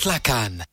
تشكيلة la CAN.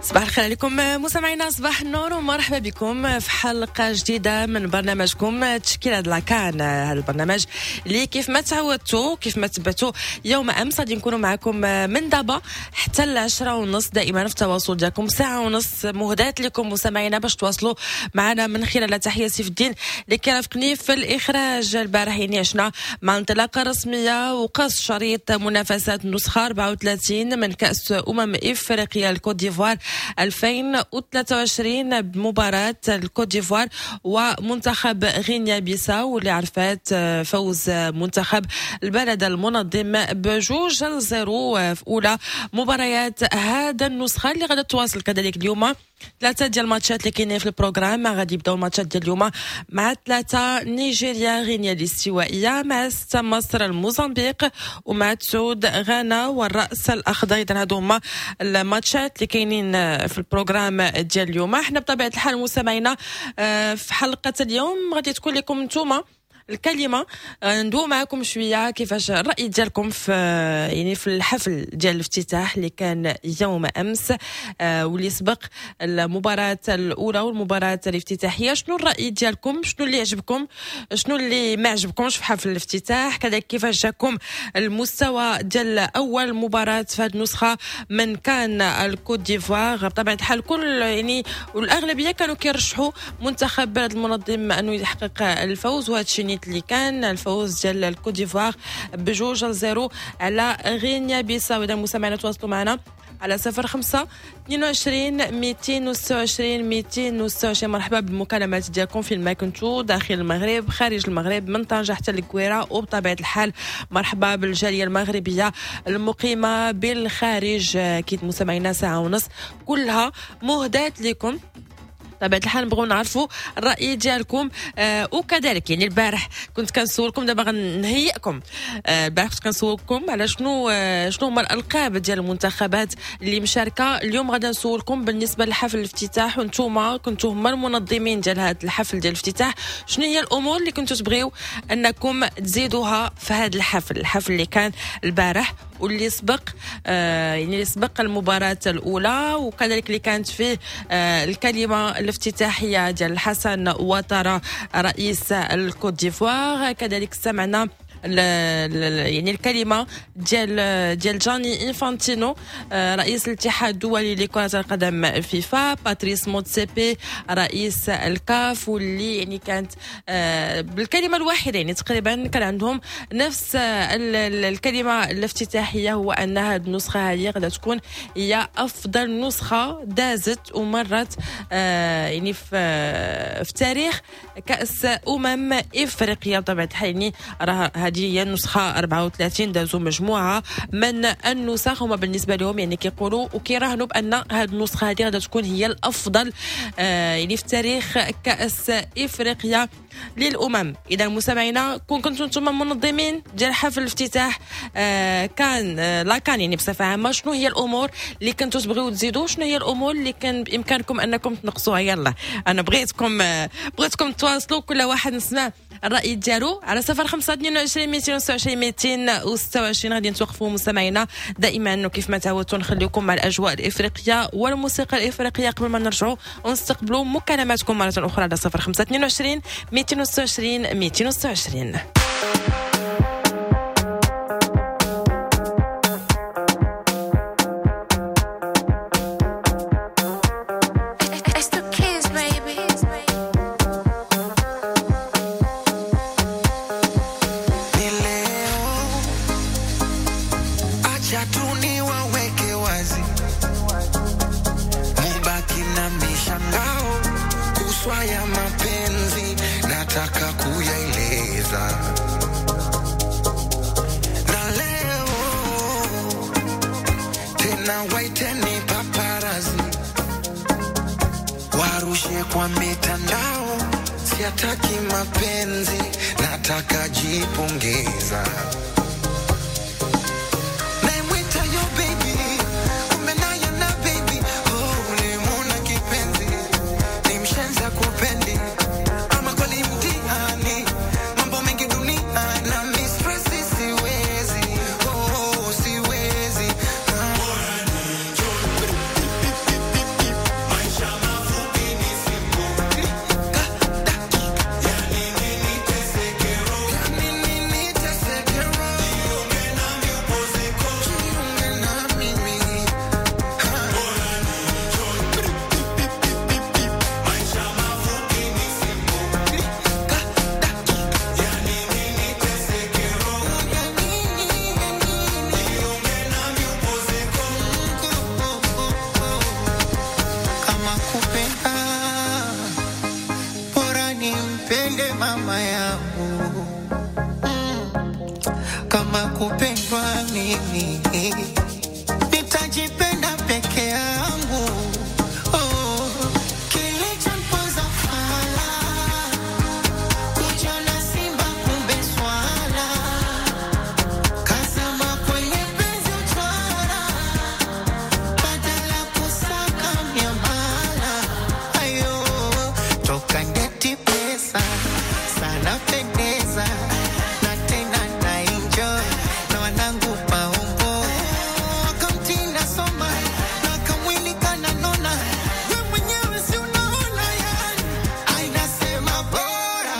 صباح الخير عليكم مستمعينا، صباح النور ومرحبا بكم في حلقة جديدة من برنامجكم تشكيلة la CAN. هذا البرنامج اللي كيف ما تعودتوا كيف ما تبعتوا يوم أمس غادي نكونوا معكم من دابا حتى 10:30 دائما في التواصل ديالكم، ساعة ونص مهداة لكم مستمعينا باش تواصلوا معنا من خلال تحية سيف الدين اللي كيرافقني في الإخراج. البارح يعني عشنا مع انطلاقة رسمية وقص شريط منافسات النسخة 34 من كأس إفريقيا الكوت ديفوار 2023 بمباراة الكوت ديفوار ومنتخب غينيا بيساو، واللي عرفت فوز منتخب البلد المنظم ب2-0 في أولى مباريات هذا النسخة اللي غادي تواصل كذلك اليوم. ثلاثة ديال الماتشات اللي كاينين في ال programme، غادي يبداو الماتشات ديال اليوم مع 3 نيجيريا غينيا الاستوائية، مع 6 مصر الموزمبيق، ومع 9 غانا والرأس الأخضر. إذا هادو هما الماتشات اللي كاينين في ال programme ديال اليوم. احنا بطبيعة الحال مستمعينا في حلقة اليوم غادي تكون لكم نتوما الكلمة، ندوي معكم شوية كيفاش الراي ديالكم في يعني في الحفل ديال الافتتاح اللي كان يوم امس واللي سبق المباراة الاولى والمباراة الافتتاحيه. شنو الراي ديالكم؟ شنو اللي عجبكم؟ شنو اللي ما عجبكمش في حفل الافتتاح؟ كذلك كيفاش جاكم المستوى ديال اول مباراة في هذه النسخة من كان الكوت ديفوار؟ بطبيعة الحال كل يعني والاغلبيه كانوا كيرشحوا منتخب بلد المنظم انه يحقق الفوز، وهذا الشيء اللي كان الفوز ديال الكوت ديفوار ب2-0 على غينيا بيساو. اذا مستمعينا تواصلوا معنا على 05 22 226 226. مرحبا بالمكالمات ديالكم فين ما كنتو، داخل المغرب، خارج المغرب، من طنجة حتى الكويرة، وبطبيعة الحال مرحبا بالجالية المغربية المقيمة بالخارج. أكيد مستمعينا ساعة ونص كلها مهداة لكم. طبيعة الحال نبغيو نعرفوا الرأي ديالكم. وكذلك يعني البارح كنت كنسولكم، دابا غنهيئكم. البارح كنت كنسولكم على شنو هما الألقاب ديال المنتخبات اللي مشاركة. اليوم غادي نسولكم بالنسبة لحفل الافتتاح، وانتوما كنتو هما المنظمين ديال هذا الحفل ديال الافتتاح، شنو هي الأمور اللي كنتو تبغيو أنكم تزيدوها في هذا الحفل، الحفل اللي كان البارح واللي سبق يعني اللي سبق المباراة الأولى، وكذلك اللي كانت فيه الكلمة الافتتاحية ديال الحسن واتارا رئيس الكوت ديفوار. كذلك سمعنا يعني الكلمة ديال جاني إنفانتينو رئيس الاتحاد الدولي لكرة القدم فيفا، باتريس موتسيبي رئيس الكاف، واللي يعني كانت بالكلمة الواحدة يعني تقريبا كان عندهم نفس الكلمة الافتتاحية، هو أن هذه النسخة هذه غادي تكون هي أفضل نسخة دازت ومرت يعني في تاريخ كأس إفريقيا. بطبيعة الحال يعني راه هذه هي النسخة 34، دازوا مجموعة من النسخ، هما بالنسبة لهم يعني كيقولوا وكيراهنوا بأن هذه النسخة هذه غادي تكون هي الأفضل يعني في تاريخ كأس إفريقيا للأمم. إذا مستمعينا كون كنتم نتوما منظمين ديال حفل الافتتاح كان la CAN يعني بصفة عامة، شنو هي الأمور اللي كنتوا تبغيو تزيدوا؟ شنو هي الأمور اللي كان بإمكانكم أنكم تنقصوها؟ يلا أنا بغيتكم تواصلوا، كل واحد نسمع الرأي ديالو على 05 22 226 226. غادي نتوقفوا مستمعينا دائما وكيف ما تعودتوا نخليكم مع الأجواء الإفريقية والموسيقى الإفريقية قبل ما نرجعوا ونستقبلوا مكالماتكم مرة أخرى على 05 22 226 226. Kuhusu ya mapenzi nataka kuyaeleza, na leo tena waiteni paparazi warushe kwa mitandao, siataki mapenzi, nataka jipongeza. Naimwita yo baby, kumbe naye na baby, oh, ulimwona kipenzi, ni mshenza kupendi, ama kweli mtihani, mambo mengi dunia na mistresi, siwezi, oh, siwezi, ah. Kama kupenda bora nimpende mama yangu, kama kupendwa mimi nitajipenda peke yangu. Oh, kilichoniponza fala kuja na simba kumbe swala kazama kwenye penzi utwara badala kusaka miamala ayo toka ndeti pesa sana pendeza na tena na enjoy na wanangu paongo akamtinda soma na kamwili kananona we mwenyewe si unaona yani ainasema bora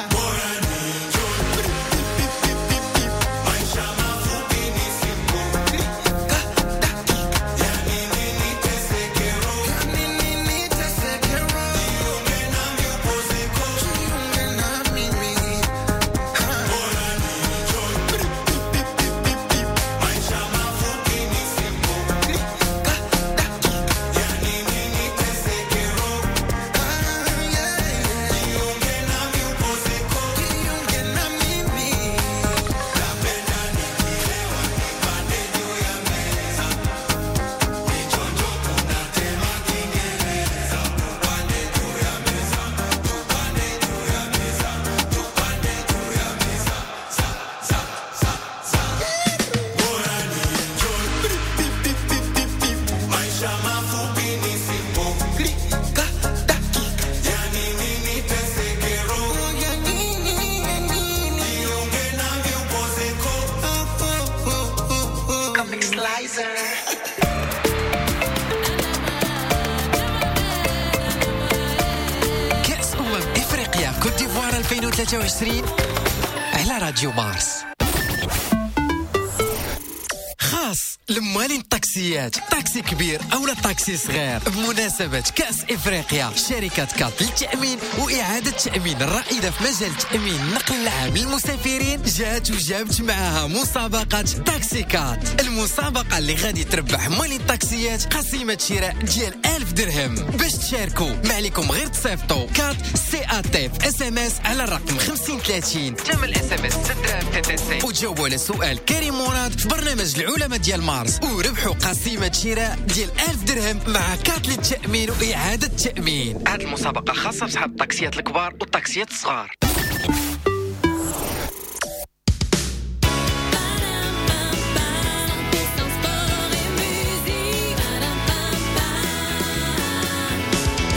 كأس أفريقيا كوت ديفوار 2023 على راديو مارس. خاص لموالين الطاكسيات، طاكسي كبير أو لا طاكسي صغير، بمناسبة كأس إفريقيا شركة كات للتأمين وإعادة التأمين الرائدة في مجال تأمين النقل العام للمسافرين جات وجابت معها مسابقة تاكسي كات، المسابقة اللي غادي تربح موالين الطاكسيات قسيمة شراء ديال 1000 درهم. باش تشاركوا ما عليكم غير تصيفطوا CAT C A T في SMS على الرقم 5030، ثمن ال SMS 6 دراهم TTC، وتجاوبوا على سؤال كريم مراد في برنامج العلماء ديال مارس وربحوا قسيمة شراء ديال 1000 درهم مع كات للتأمين وإعادة التأمين. هذه المسابقة خاصة بصحاب الطاكسيات الكبار والطاكسيات الصغار.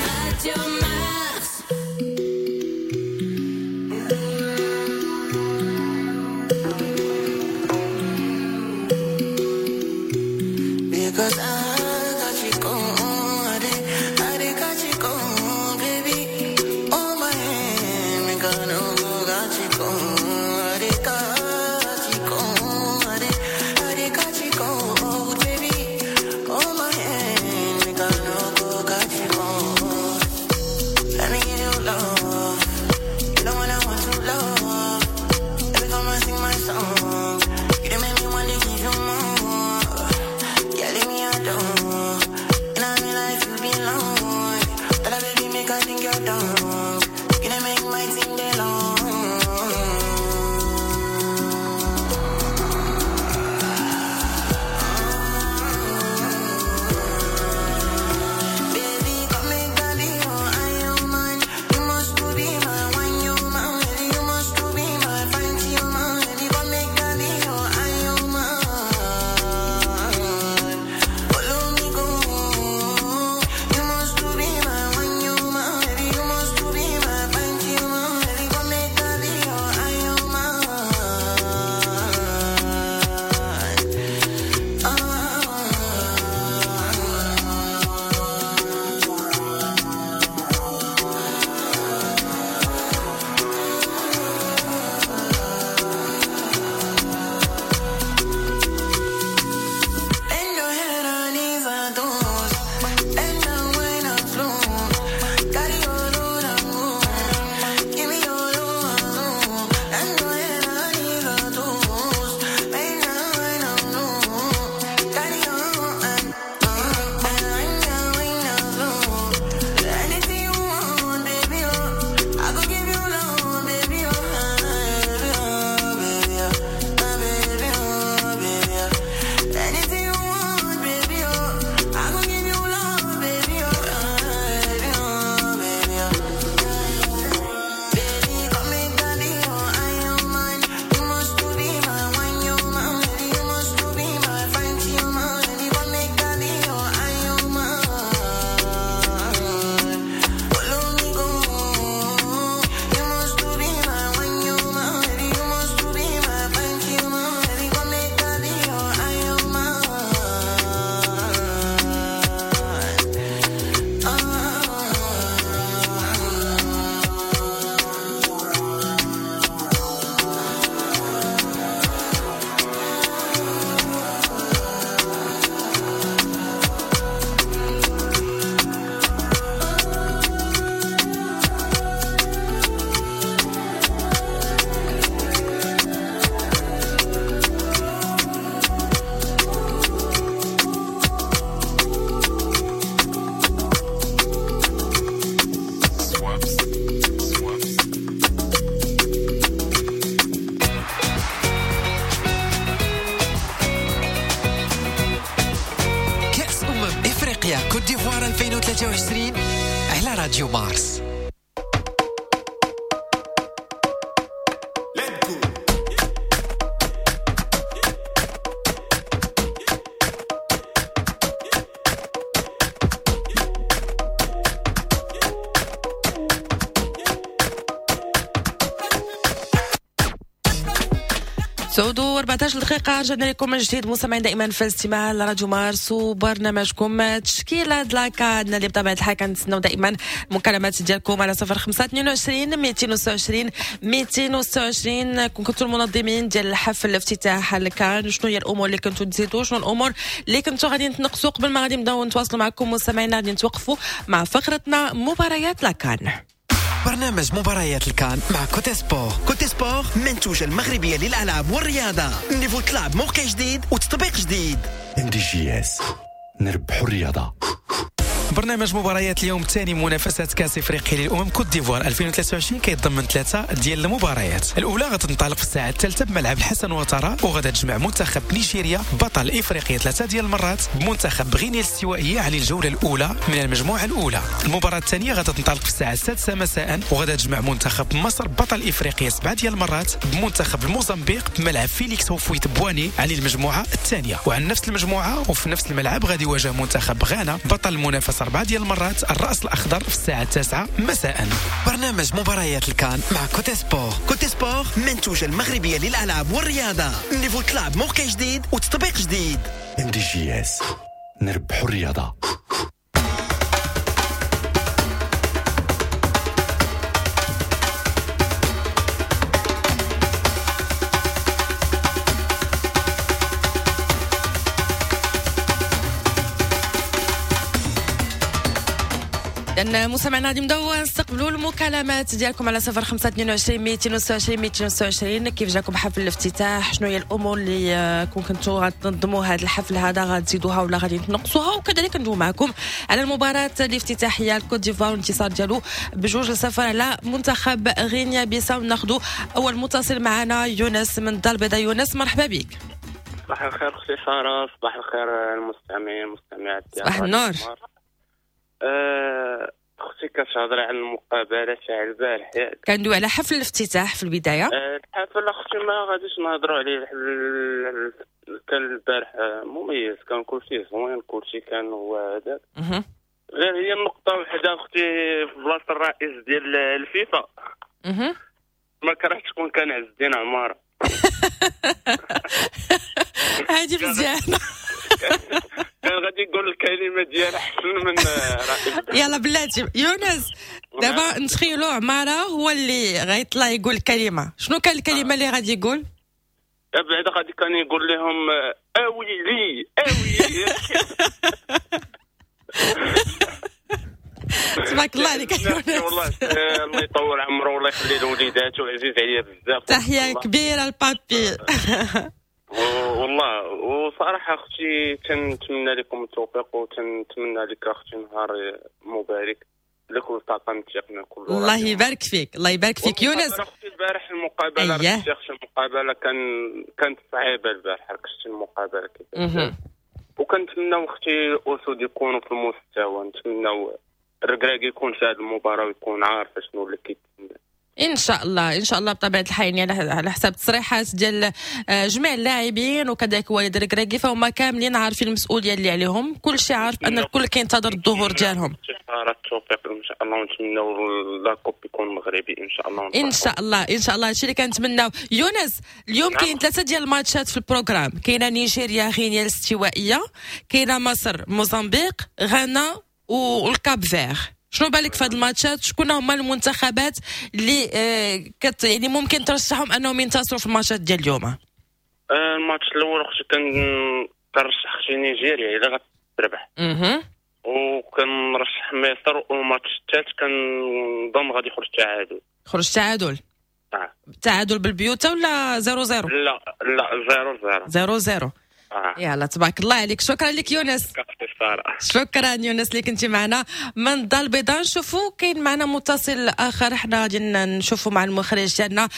Radio Mars. Because I got you gone, I got you gone, baby. On my hand, me gonna go got you gone, I got you gone, I got you gone, baby. On my hand, me gonna go got you gone. Let me give you love, you know what I want to love. Every time I sing my song, you done make me want to give you more. Yeah, leave me alone. And I mean like you belong. Tell her baby make I think you're done. 2023 على راديو مارس. تسعود و14 دقيقة، رجعنا لكم من جديد مستمعين دائما في الاستماع لراديو مارس وبرنامجكم تشكيلة la CAN اللي بطبيعة الحال كنتسناو دائما المكالمات ديالكم على 05 22 226 226. كنتو المنظمين ديال الحفل الافتتاح الكان، شنو هي الامور اللي كنتو تزيدوا، شنو الامور اللي كنتو غادي تنقصوا؟ قبل ما غادي نبداو نتواصلوا معكم مستمعينا غادي نتوقفوا مع فقرتنا مباريات la CAN. برنامج مباريات الكان مع Cote Sport. Cote Sport منتوجة المغربية للألعاب والرياضة. niveau طلع بموقع جديد وتطبيق جديد. MDJS نربحوا الرياضة. برنامج مباريات اليوم الثاني منافسات كاس افريقيا للامم كوت ديفوار 2023 كيتضمن 3 ديال المباريات. الاولى غتنطلق في الساعة 3 بملعب الحسن وترى، وغادا تجمع منتخب نيجيريا بطل افريقيا 3 ديال المرات بمنتخب غينيا الاستوائيه على الجولة الاولى من المجموعة الاولى. المباراة الثانية غادا تنطلق في الساعة 6 مساء، وغادا تجمع منتخب مصر بطل افريقيا 7 ديال المرات بمنتخب الموزمبيق بملعب فيليكس هوفويت بواني على المجموعة الثانية. وعن نفس المجموعة وفي نفس الملعب غادي يواجه منتخب غانا بطل المنافسة 4 ديال المرات الرأس الأخضر في الساعة 9 مساء. برنامج مباريات الكان مع Cote Sport. Cote Sport منتوجة المغربية للألعاب والرياضة. niveau طلع بموقع جديد وتطبيق جديد. MDJS نربحوا الرياضة. لأن مستمعينا غادي نبداو نستقبلوا المكالمات ديالكم على 05 22 226 226. كيف جاكم حفل الافتتاح؟ شنو هي الامور اللي كون كنتو غتنظموا هذا الحفل هذا غتزيدوها ولا غادي تنقصوها؟ وكذلك ندوي معكم على المباراة الافتتاحيه الكوت ديفوار والانتصار ديالو ب2-0 على منتخب غينيا بيساو. ناخذوا اول متصل معنا يونس من الدار البيضاء. يونس مرحبا بك. صباح الخير اختي ساره، صباح الخير المستمعين المستمعات. صباح النور. اختي كتهضري على المقابلة تاع البارح ياك؟ كندوي على حفل الافتتاح في البداية. الحفل اختي ما غاديش نهضروا عليه، كان البارح مميز، كان كلشي زوين، كلشي كان هو هذاك. غير هي النقطة وحده اختي في بلاصة الرئيس ديال الفيفا ما كرهتش تكون كان عز الدين عمارة. هادي مزيانه. كان غادي يقول الكلمة ديال احسن من رئيس. يلا بلاتي يونس، دابا نتخيلوا عمارة هو اللي غيطلع يقول الكلمة، شنو كان الكلمة اللي غادي يقول؟ بعدا غادي كان يقول لهم اويلي اويلي. تبارك الله عليك يونس. والله الله يطول عمره والله يخلي له وليداته، عزيز عليا بزاف. تحية كبيرة لبابي. والله وصراحة اختي تنتمنى لكم التوفيق، وتنتمنى لك اختي نهار مبارك لكل طاقم التقني كله. الله يبارك فيك، الله يبارك فيك يونس. اختي البارح المقابلة المقابلة كانت صعيبة البارح، ركزت المقابلة كيفاش، وكنتمناو اختي الاسود يكونوا في المستوى، نتمناو الركراكي يكون في هذه المباراة ويكون عارف شنو اللي كيتسنى. ان شاء الله، ان شاء الله بطبيعة الحال، يعني على حسب التصريحات ديال جميع اللاعبين وكذلك والد الركراكي فهما كاملين عارفين المسؤولية اللي عليهم، كل شيء عارف ان الكل كينتظر الظهور ديالهم. التوفيق ان شاء الله، ونتمناو la coupe يكون مغربي ان شاء الله. ان شاء الله، ان شاء الله هادشي اللي كنتمناو. يونس اليوم كاين 3 ديال الماتشات في ال programme، كاينه نيجيريا غينيا الاستوائيه، كاينه مصر موزمبيق، غانا والكاب فير. شنو بالك في هاد الماتشات؟ شكون هما المنتخبات اللي يعني ممكن ترشحهم انهم ينتصروا في الماتشات ديال اليوم؟ الماتش الاول اختي كنرشح اختي نيجيريا الا غتربح، وكنرشح مصر، والماتش الثالث كنظن غادي يخرج تعادل. خرج تعادل؟ تعادل بالبيوتا ولا 0-0؟ لا لا 0-0. 0-0. يلا تبارك الله عليك، شكرا لك يونس. ساره. شكرا يونس اللي كنتي معنا من الدار البيضاء. نشوفوا كاين معنا متصل اخر، حنا غادي نشوفوا مع المخرج ديالنا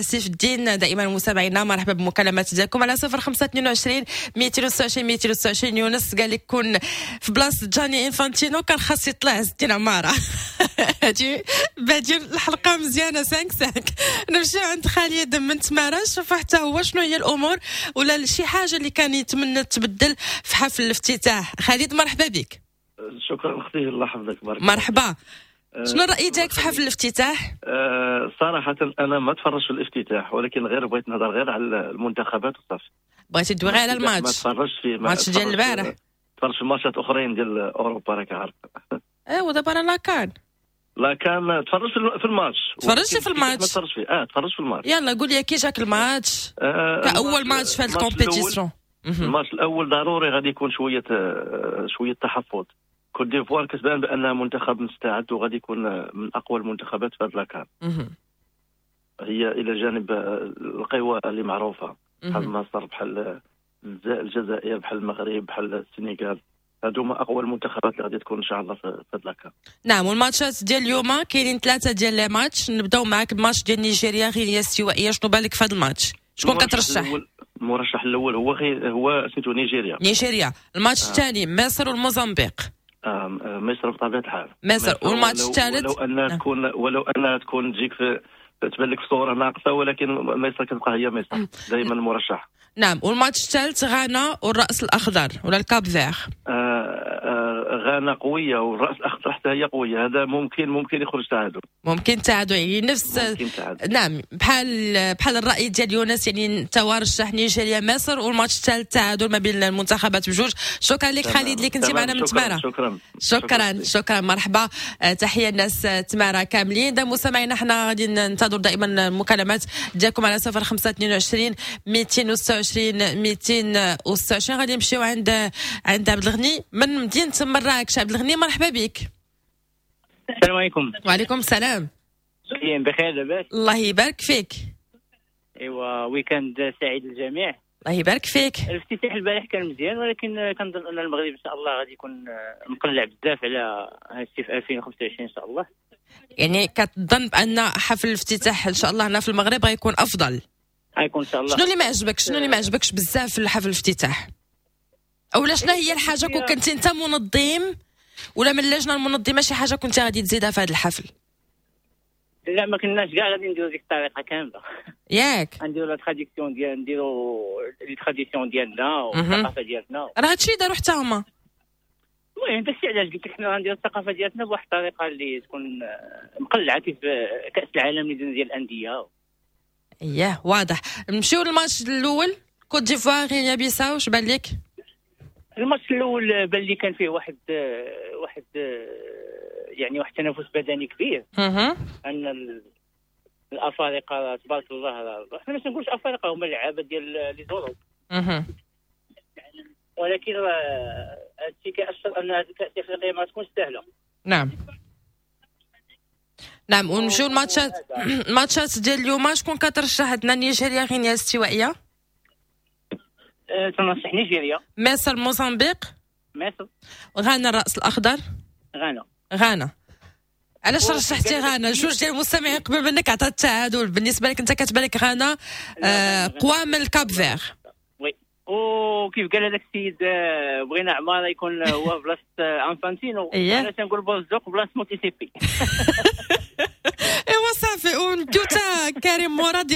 سيف الدين. دائما متابعينا مرحبا بالمكالمات ديالكم على 0522 226 226. يونس قال لك كون في بلاصة جاني انفانتينو كان خاص يطلع عز الدين عمارة. هادي بادي الحلقة مزيانه 5 5. نمشيو عند خالد من تمارا، نشوفوا حتى هو شنو هي الامور ولا شي حاجة اللي كان يتمنى تبدل في حفل الافتتاح. خالد مرحبا بك. شكرا اختي، الله يحفظك. بارك. مرحبا، شنو الراي ديالك في حفل الافتتاح؟ صراحة انا ما تفرجت في الافتتاح، ولكن غير بغيت نهضر غير على المنتخبات وصافي. بغيتي تدوي غير على الماتش؟ ما تفرجتش فيه، الماتش ديال البارح. تفرجت في ماتشات اخرين ديال اوروبا راك عارف. ايوا دابا راه la CAN la CAN تفرجت في الماتش. تفرجتي في الماتش؟ ما تفرجت فيه، تفرجت في الماتش. يلا قول لي كي جاك الماتش كاول ماتش في هاد ال compétition؟ الماتش الاول ضروري غادي يكون شوية تحفظ. كوت ديفوار كتبان بانها منتخب مستعد وغادي يكون من اقوى المنتخبات في هاد la CAN. هي الى جانب القوى اللي معروفة بحال مصر، بحال الجزائر، بحال المغرب، بحال السنغال. هادو هما اقوى المنتخبات اللي غادي تكون ان شاء الله في هاد la CAN. نعم، والماتشات ديال اليوم كاينين 3 ديال les matchs. نبداو معاك بماتش ديال نيجيريا غينيا الاستوائيه. شنو بالك في هذا الماتش؟ شكون كترشح؟ المرشح الاول هو سميتو نيجيريا. نيجيريا. الماتش الثاني مصر والموزمبيق. مصر بطبيعة الحال. مصر. والماتش الثالث ولو انها تكون تجيك في تبان لك صوره ناقصه، ولكن مصر كتبقى هي مصر دائما مرشح. نعم، والماتش الثالث غانا والرأس الأخضر ولا ال Cap-Vert. غانا قوية والرأس الأخضر حتى هي قوية، هذا ممكن يخرج تعادل. ممكن تعادل، يعني نفس ممكن تعادل. نعم، بحال الرأي ديال يونس، يعني انت رشح نيجيريا مصر، والماتش الثالث تعادل ما بين المنتخبات بجوج. شكرا لك خالد اللي كنتي معنا من تمارا. شكرا شكرا شكرا، مرحبا. تحية الناس تمارا كاملين. دا مستمعينا حنا غادي ننتظر دائما المكالمات ديالكم على 0522 226 226. غادي نمشيو عند عبد الغني من مدينة مراكش. عبد الغني مرحبا بك. السلام عليكم. وعليكم السلام. بخير لاباس؟ الله يبارك فيك. ايوا week-end سعيد للجميع. الله يبارك فيك. الافتتاح البارح كان مزيان، ولكن كنظن ان المغرب ان شاء الله غادي يكون مقلع بزاف على هادشي في 2025 ان شاء الله. يعني كتظن بان حفل الافتتاح ان شاء الله هنا في المغرب غيكون افضل؟ غيكون ان شاء الله. شنو اللي ما عجبك؟ شنو اللي ما عجبكش بزاف في حفل الافتتاح؟ اولا شنو هي الحاجة كون كنتي انت منظم ولا من اللجنة المنظمة شي حاجة كنت غادي تزيدها في هذا الحفل؟ لا، ما كناش كاع غادي نديرو ديك الطريقة كاملة. ياك نديرو la tradition ديال، نديرو les traditions ديالنا والثقافة ديالنا. راه هادشي داروا حتى هما. المهم داكشي علاش قلت لك حنا غنديرو الثقافة ديالتنا بواحد الطريقة اللي تكون مقلعه كيف كاس العالم اللي درنا ديال الاندية. اييه واضح. نمشيو للماتش الاول كوت ديفوار غينيا بيساو، واش بان لك؟ الماتش الاول بان لي كان فيه واحد يعني واحد التنافس بدني كبير. ان الافارقة تبارك الله، حنا ما تنقولش افارقه، هما اللعابه ديال les Europes. ولكن هادشي كيأشر ان هاد الكاس الافريقية ما تكونش سهلة. نعم نعم. ونمشيو الماتشات ديال اليوم. شكون كترشح عندنا؟ نيجيريا غينيا الاستوائيه. تنرشح نيجيريا. مصر موزمبيق. مصر. غانا الراس الاخضر. غانا. علاش رشحتي غانا؟ جوج ديال المستمعين قبل منك عطات التعادل. بالنسبة لك انت كتبان لك غانا قوى من ال Cap-Vert. oui، وكيف قال هذاك السيد بغينا عمارة يكون هو بلاصة انفانتينو. انا تنقول بوزوق بلاصة موتيسيبي. ايوا صافي، ونديو تا كريم مراد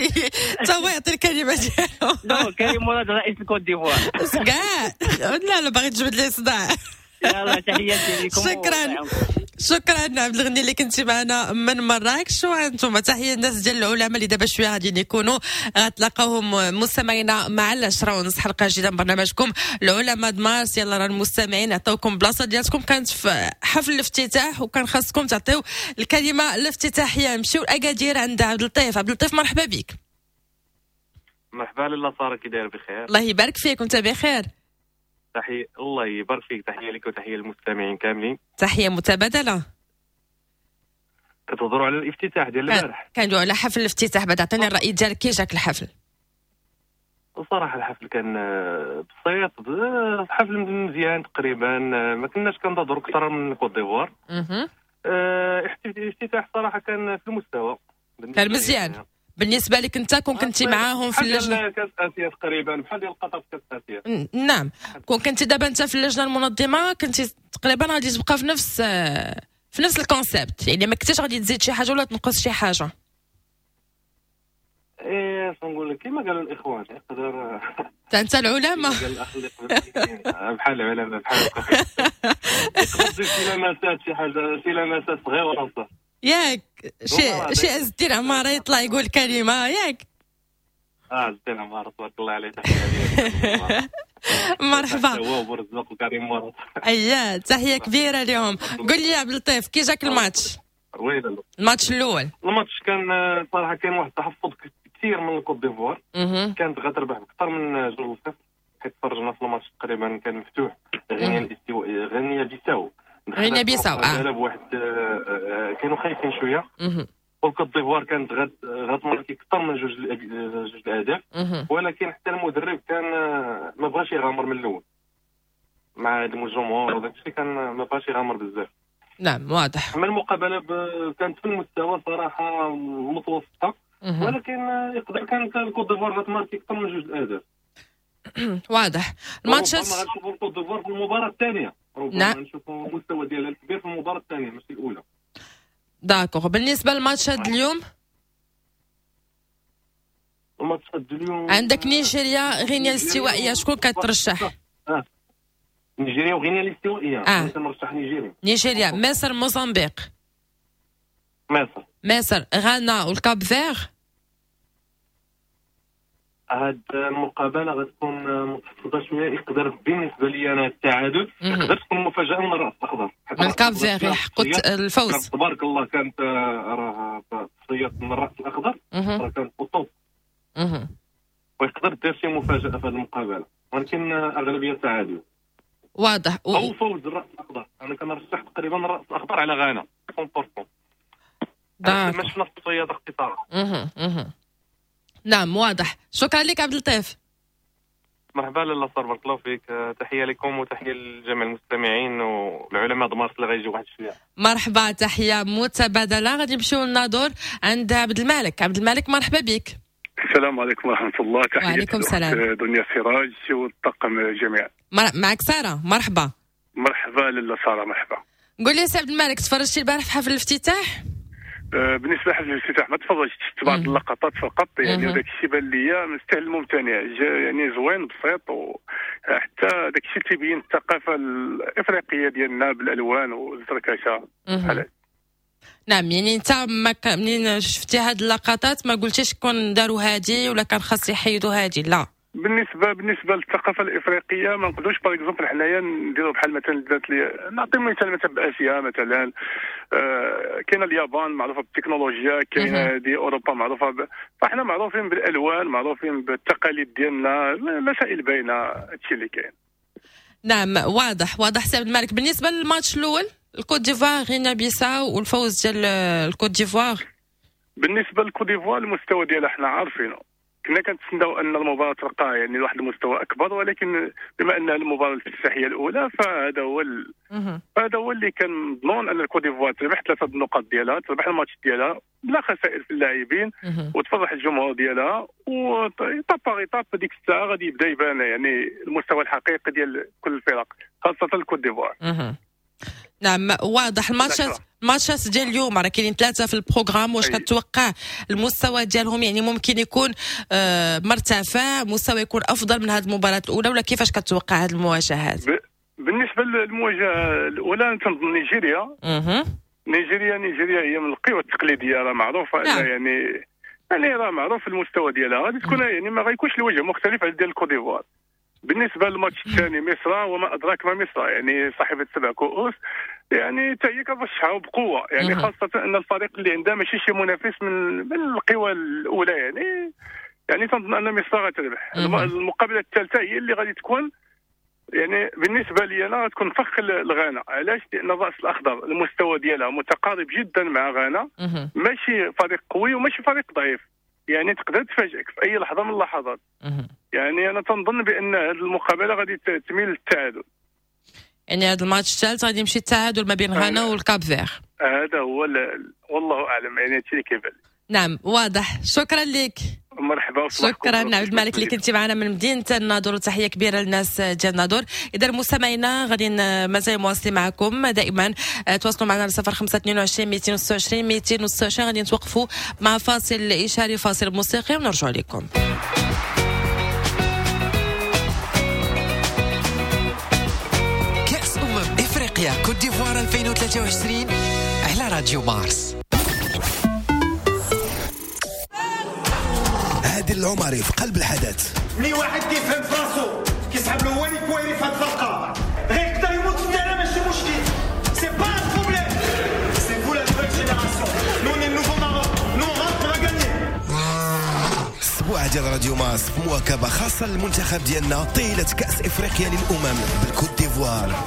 تا هو يعطي الكلمة ديالو. لا، كريم مراد رئيس الكوت ديفوار كاع. لا لا، باغي تجبد لي صداع. يلا تحياتي لكم. شكرا شكرا عبد الغني اللي كنتي معنا من مراكش. وانتم تحية الناس ديال العلماء اللي دابا شوية غادي يكونوا غتلاقاوهم مستمعينا مع 10:30 حلقة جديدة من برنامجكم العلماء د مارس. يلا راه المستمعين عطاوكم بلاصة ديالكم، كانت في حفل الافتتاح وكان خاصكم تعطيو الكلمة الافتتاحيه. نمشيو لاكادير عند عبد اللطيف. عبد اللطيف مرحبا بك. مرحبا لاله ساره، كي داير؟ بخير الله يبارك فيك، وانت بخير؟ تحية، الله يبارك فيك، تحية لك وتحية للمستمعين كاملين. تحية متبادلة. كتهضروا على الافتتاح ديال البارح؟ كندويو على حفل الافتتاح. بعد عطيني الرأي ديالك، كي جاك الحفل؟ الصراحة الحفل كان بسيط، حفل مزيان تقريبا، ما كناش كنتظروا اكثر من كوت ديفوار. الافتتاح صراحة كان في المستوى، كان مزيان بالنسبة لك انت كون كنتي معاهم في اللجنة كاس اسيا تقريبا، بحال ديال قطر في كاس اسيا. نعم، كون كنتي دابا انت في اللجنة المنظمة كنتي تقريبا غادي تبقى في نفس ال concept، يعني ما كنتيش غادي تزيد شي حاجة ولا تنقص شي حاجة. ايه نقول لك كما قالوا الاخوان يقدر انت العلماء بحال العلماء بحال يقدر شي لمسات، شي حاجة، شي لمسات صغيرة صح ياك، شي عز الدين عمارة يطلع يقول كلمة ياك. عز الدين عمارة تبارك الله عليه، تحية مرحبا. هو ورزاق وكريم مراد. اييه تحية كبيرة لهم. قول لي يا عبد اللطيف كي جاك الماتش؟ الماتش الاول، الماتش كان صراحة كان واحد التحفظ كثير من الكوت ديفوار، كانت غتربح بأكثر من 2-0، حيت تفرجنا في الماتش تقريبا كان مفتوح. غينيا الاستوائيه، غينيا بيساو، غينيا بيساو بواحد كانوا خايفين شوية، والكوت ديفوار كانت غتماركي اكثر من جوج الاهداف، ولكن حتى المدرب كان ما بغاش يغامر من الاول مع الجمهور وداك الشيء، كان ما بغاش يغامر بزاف. نعم واضح. اما المقابلة كانت في المستوى صراحة متوسطه، ولكن يقدر كانت الكوت ديفوار غتماركي اكثر من جوج الاهداف. واضح. الماتشات غنشوفوا الكوت ديفوار في المباراة الثانية، ربما نشوفوا المستوى ديالها الكبير في المباراة الثانية ماشي الاولى. d'accord. بالنسبة للماتشات اليوم، الماتشات اليوم عندك نيجيريا غينيا الاستوائيه، شكون كترشح؟ نيجيريا وغينيا الاستوائيه. كنرشح نيجيريا. نيجيريا، مصر، موزمبيق. مصر، غانا والكاب فير. هاد المقابلة غتكون متحفظه شوية، يقدر بالنسبة لي انا التعادل، يقدر تكون مفاجاة من الراس الاخضر. من الكاب فير يحقق الفوز. تبارك الله كانت راه تصفيات من الراس الاخضر، راه كانت top، ويقدر دير شي مفاجاة في هذه المقابلة، ولكن اغلبية تعادل. واضح. او فوز الراس الاخضر، انا كنرشح تقريبا الراس الاخضر على غانا 100%. ما شفنا التصفيات اختصارا. نعم واضح. شكرا لك عبد اللطيف. مرحبا لاله ساره، بارك الله فيك، تحية لكم وتحية لجميع المستمعين والعلماء دمارس اللي غيجيو واحد شوية. مرحبا، تحية متبادلة. غادي نمشيو للناظور عند عبد الملك. عبد الملك مرحبا بك. السلام عليكم ورحمة الله. تحية وعليكم السلام دنيا سراج والطاقم جميعا. معك ساره، مرحبا. مرحبا لاله ساره، مرحبا. قول لي سي عبد الملك، تفرجتي البارح في حفل الافتتاح؟ بالنسبة لحفل الافتتاح ما تفرجتش، شفت بعض اللقطات فقط يعني، وداك الشيء بان لي مستاهل الممتنع، يعني زوين بسيط، وحتى داك الشيء تيبين الثقافة الافريقية ديالنا بالالوان والزركشه. نعم، يعني انت منين شفتي هاد اللقطات ما قلتيش كون داروا هادي ولا كان خاص يحيدوا هادي؟ لا، بالنسبة للثقافة الافريقية ما نقدروش par exemple حنايا نديروا بحال مثلا دارت لي، نعطي مثال مثلا باسيا مثلا، كاينه اليابان معروفة بالتكنولوجيا، كاينه دي اوروبا معروفة فاحنا معروفين بالالوان، معروفين بالتقاليد ديالنا، المسائل باينة، هادشي اللي كاين. نعم واضح، واضح سي عبد الملك. بالنسبة للماتش الاول الكوت ديفوار غينيا بيساو والفوز ديال الكوت ديفوار. بالنسبة للكوت ديفوار المستوى ديالها حنا عارفينه، كنا كنتسناو ان المباراة تلقى يعني لواحد المستوى اكبر، ولكن بما انها المباراة الافتتاحيه الاولى فهذا هو هذا هو اللي كان مضمون، ان الكوت ديفوار تربح 3 النقاط ديالها، تربح الماتش ديالها بلا خسائر في اللاعبين، وتفرح الجمهور ديالها، و étape par étape ديك الساعة غادي يبدا يبان يعني المستوى الحقيقي ديال كل الفرق، خاصة الكوت ديفوار. نعم واضح. الماتشات ديال اليوم راه كاينين 3 في ال programme، واش كتوقع المستوى ديالهم يعني ممكن يكون مرتفع، مستوى يكون افضل من هذه المباراة الاولى، ولا كيفاش كتوقع هذه المواجهات؟ بالنسبة للمواجهه الاولى تنظن نيجيريا. نيجيريا هي من القوى التقليدية، راه معروفة. نعم. يعني راه معروف المستوى ديالها، غادي تكون يعني ما غيكونش الوجه مختلف على ديال الكوت ديفوار. بالنسبة للماتش الثاني مصر، وما ادراك ما مصر، يعني صاحبه 7 كؤوس، يعني حتى هي كترشحها بقوة، يعني خاصة ان الفريق اللي عندها ماشي شي منافس من القوى الاولى، يعني تنظن ان مصر غتربح. المقابلة الثالثة هي اللي غادي تكون يعني بالنسبة لي انا غتكون فخ لغانا. علاش؟ لان الراس الاخضر المستوى ديالها متقارب جدا مع غانا، ماشي فريق قوي وماشي فريق ضعيف، يعني تقدر تفاجئك في اي لحظة من اللحظات. يعني انا تنظن بان هذه المقابلة غادي تميل للتعادل. يعني هذا الماتش الثالث غادي يمشي التعادل ما بين غانا والكاب فير. هذا هو، والله اعلم، يعني هادشي اللي كيبان. نعم واضح، شكرا لك. مرحبا. شكرا عبد الملك اللي كنتي معنا من مدينة الناظور، وتحية كبيرة للناس ديال الناظور. اذا مستمعينا غادي مازال مواصلين معكم دائما، تواصلوا معنا على 0522 226 226. غادي نتوقفوا مع فاصل اشاري، فاصل موسيقي، ونرجع لكم. كأس افريقيا كوت ديفوار 2023 على راديو مارس. عادل العمري في قلب الحدث. ملي واحد كيفهم فراسو كيسحب له هو اللي كويري في هاد الفرقة، غير يقدر يموت في ال terrain ماشي مشكل. c'est pas un problème، c'est vous la nouvelle génération، nous on est nouveau Maroc، nous on rentre on gagne. السبوع ديال راديو مارس في مواكبة خاصة للمنتخب ديالنا طيلة كاس افريقيا للامم بالكوت ديفوار.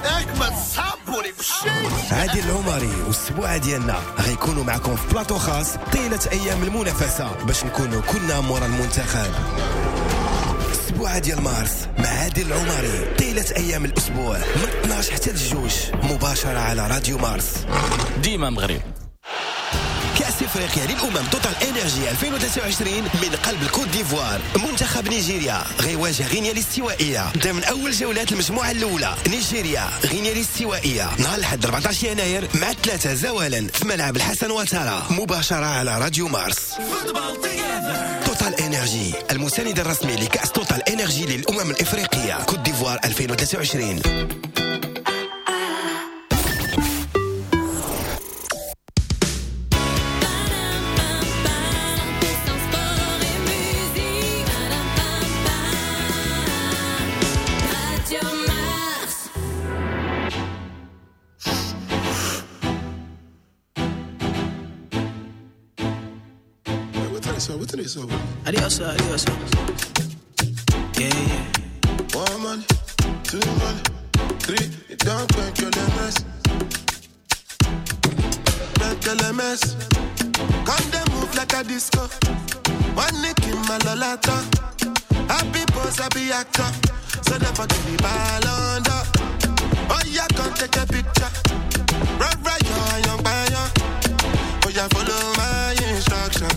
عادل العمري والسبوعه ديالنا غيكونوا معكم في بلاطو خاص طيلة ايام المنافسة باش نكونوا كلنا مورا المنتخب. السبوعه ديال مارس مع عادل العمري طيلة ايام الاسبوع من 12 حتى للجوج، مباشرة على راديو مارس. ديما مغرب. كأس افريقيا للامم توتال انرجي 2023 من قلب الكوت ديفوار. منتخب نيجيريا غيواجه غينيا الاستوائيه ضمن اول جولات المجموعة الاولى. نيجيريا غينيا الاستوائيه نهار الاحد 14 يناير مع 3 زوالا في ملعب الحسن وتارا، مباشرة على راديو مارس. توتال انرجي المساند الرسمي لكأس توتال انرجي للامم الافريقية كوت ديفوار 2023. Adios, adios. Yeah, yeah. 1 man, 2 man, 3. It don't make your mess. Make your mess. Come they move like a disco. One nick in my lolata. Happy boss, happy actor. So never give me ball under. Oh yeah, come take a picture. Right, right, young, young. Oh yeah, follow my instruction.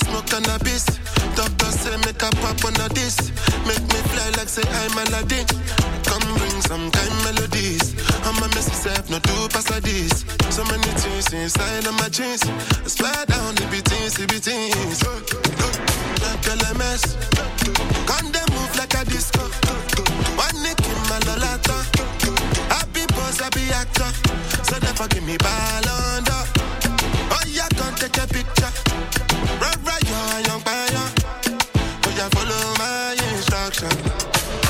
Smoke cannabis, doctor say make a pop on a this. Make me fly like say I'm Aladdin. Come bring some kind melodies. I'm a messy self, no do pass like this. So many things inside of my jeans. I swear down the beatings, the beatings. Like LMS, come they move like a disco. One nick in my lolata. Happy boss, happy actor. So never give me ball under. Oh yeah, come take a picture. Right, right, young, young. Oh, yeah, follow my instruction.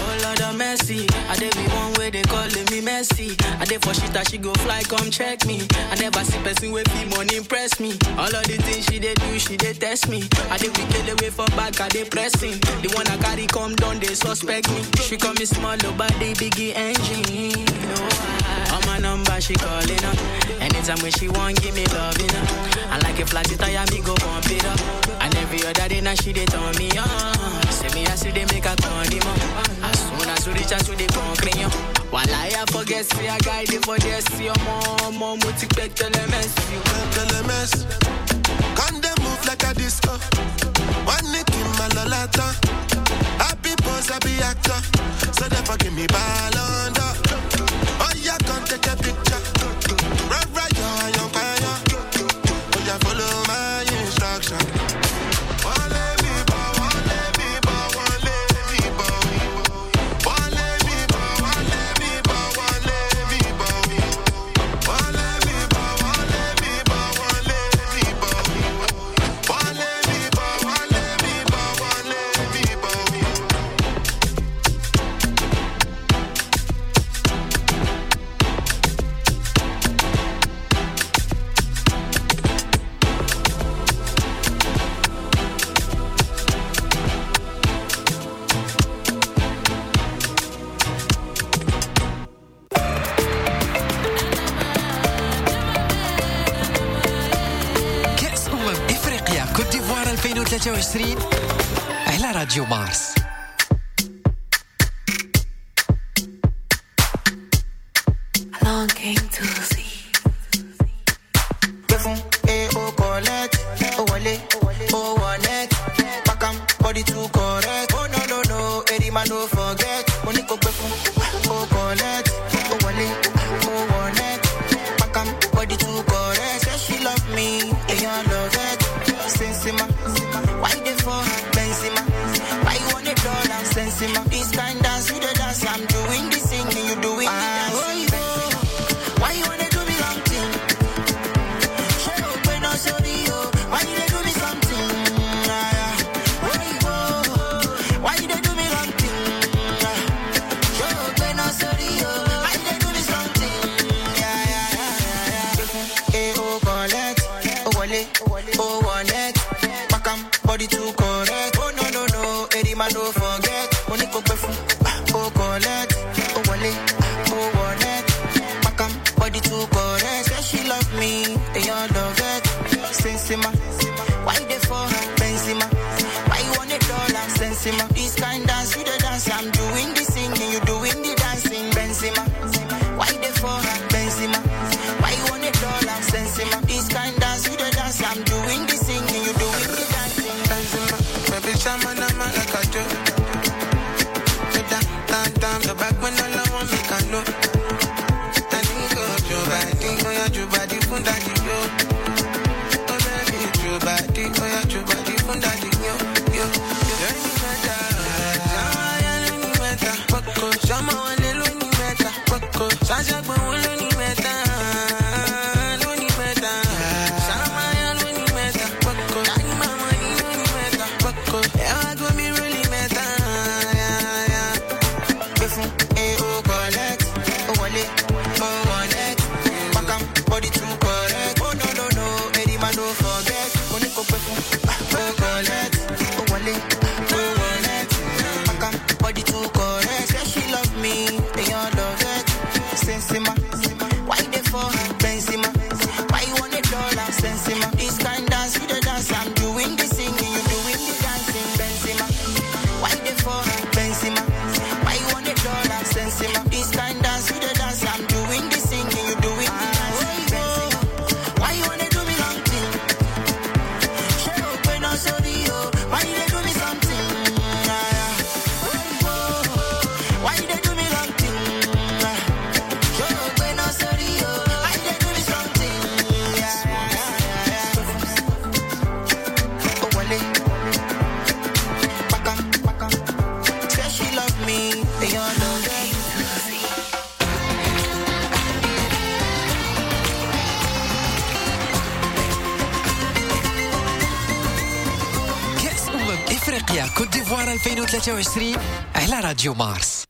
Oh, Lord of mercy. I dey be one way they calling me messy. I dey for shit that she go fly, come check me. I never see person with fee money impress me. All of the things she dey do, she dey test me. I dey wicked away for back, I dey pressing. The one I carry come down, they suspect me. She call me small, body, biggie engine. Oh, on my number, she calling up. Anytime when she want, give me love, you know. I like a flat tire, me go pump it up. And every other day now she dey turn me on. Say me I see they make a condiment. As soon as we reach out to the concrete, while I forget, see a guy dey for there, see your mom, mom, we take tell mess. Tell mess. Can they move like a disco? One nick in my lolata. Happy boss, happy actor. So never give me ball under. Oh yeah, come take a picture. Right, right, young, young. Oh yeah, follow my instruction. ديفوار 2023 على راديو مارس. Longing to see. Eh, oh, collect, oh, wale, oh, one, back am, body too correct. Oh, no, no, no, Eddie man, don't forget. Money go back, oh, collect, oh, wale, oh, one, back am, body too correct. Say she love me, and you love it. Sensima, why they for Benzema? Why you want it all? I'm sensima. This kind dance, you the dance, I'm doing the singing, you doing the dancing. Why you wanna do me something? Show up when I show you. Why you do me something? Why you do me something? Show up when I show you. Why you do me something? Yeah, yeah, yeah, yeah. Eh, oh, collect, oh, wale, oh, wallet. Back am, body too correct. Oh, no, no, no, Eddie man, don't forget. Money go pay for, oh, collect, oh, wale, oh, wallet. Body too correct. Say she love me, they all love it. Sensima, why they for her? Benzema, why you want it all? I'm sensima. This kind dance, you the dance. I'm doing the singing, you doing the dancing. Benzema, why they for her? Benzema, why you want it all? I'm sensima. This kind dance, you the dance. I'm doing the singing, you doing the dancing. Benzema, baby, chama na ma like I do. Down, down, down, the back when all I want me can know. Oh yeah, your body fun daddy yo. Oh baby, your body, oh yeah, your body fun daddy yo, yo. Lóní mẹ́ta, ṣàwáyà lóní mẹ́ta, pọ̀kọ̀ ṣọmọ wọlé lóní mẹ́ta, pọ̀kọ̀ ṣàṣàgbọ̀n wọn lóní mẹ́ta, lóní mẹ́ta, ṣàwáyà lóní mẹ́ta, pọ̀kọ̀ dání màmá ní lóní mẹ́ta, pọ̀kọ̀ ẹ wá gómi lóní mẹ́ta. Gbé fún AO collect, ó wọlé, ó wọlé. Body too correct. Oh no no no, Eddie man don't forget. Money go pay for, oh collect, oh wale, oh wallet. Back am, body too correct. Say she love me, they all love it. Sensima, why they for her? Benzema, why you want it all? I'm sensima. This kind dance, you the dance. I'm doing the singing, you doing the dancing. Benzema, why they for her? Benzema, why you want it all? I'm sensima. This kind dance, you the dance. I'm doing the singing, you doing the dancing. Why you wanna do me something? Show up when I show you. Why you do me something? Why you do me something? Show up when I show you. Why you do me something? Oh, wale. Back up, back up. Say she love me, they all know that. افريقيا كوت ديفوار 2023 على راديو مارس.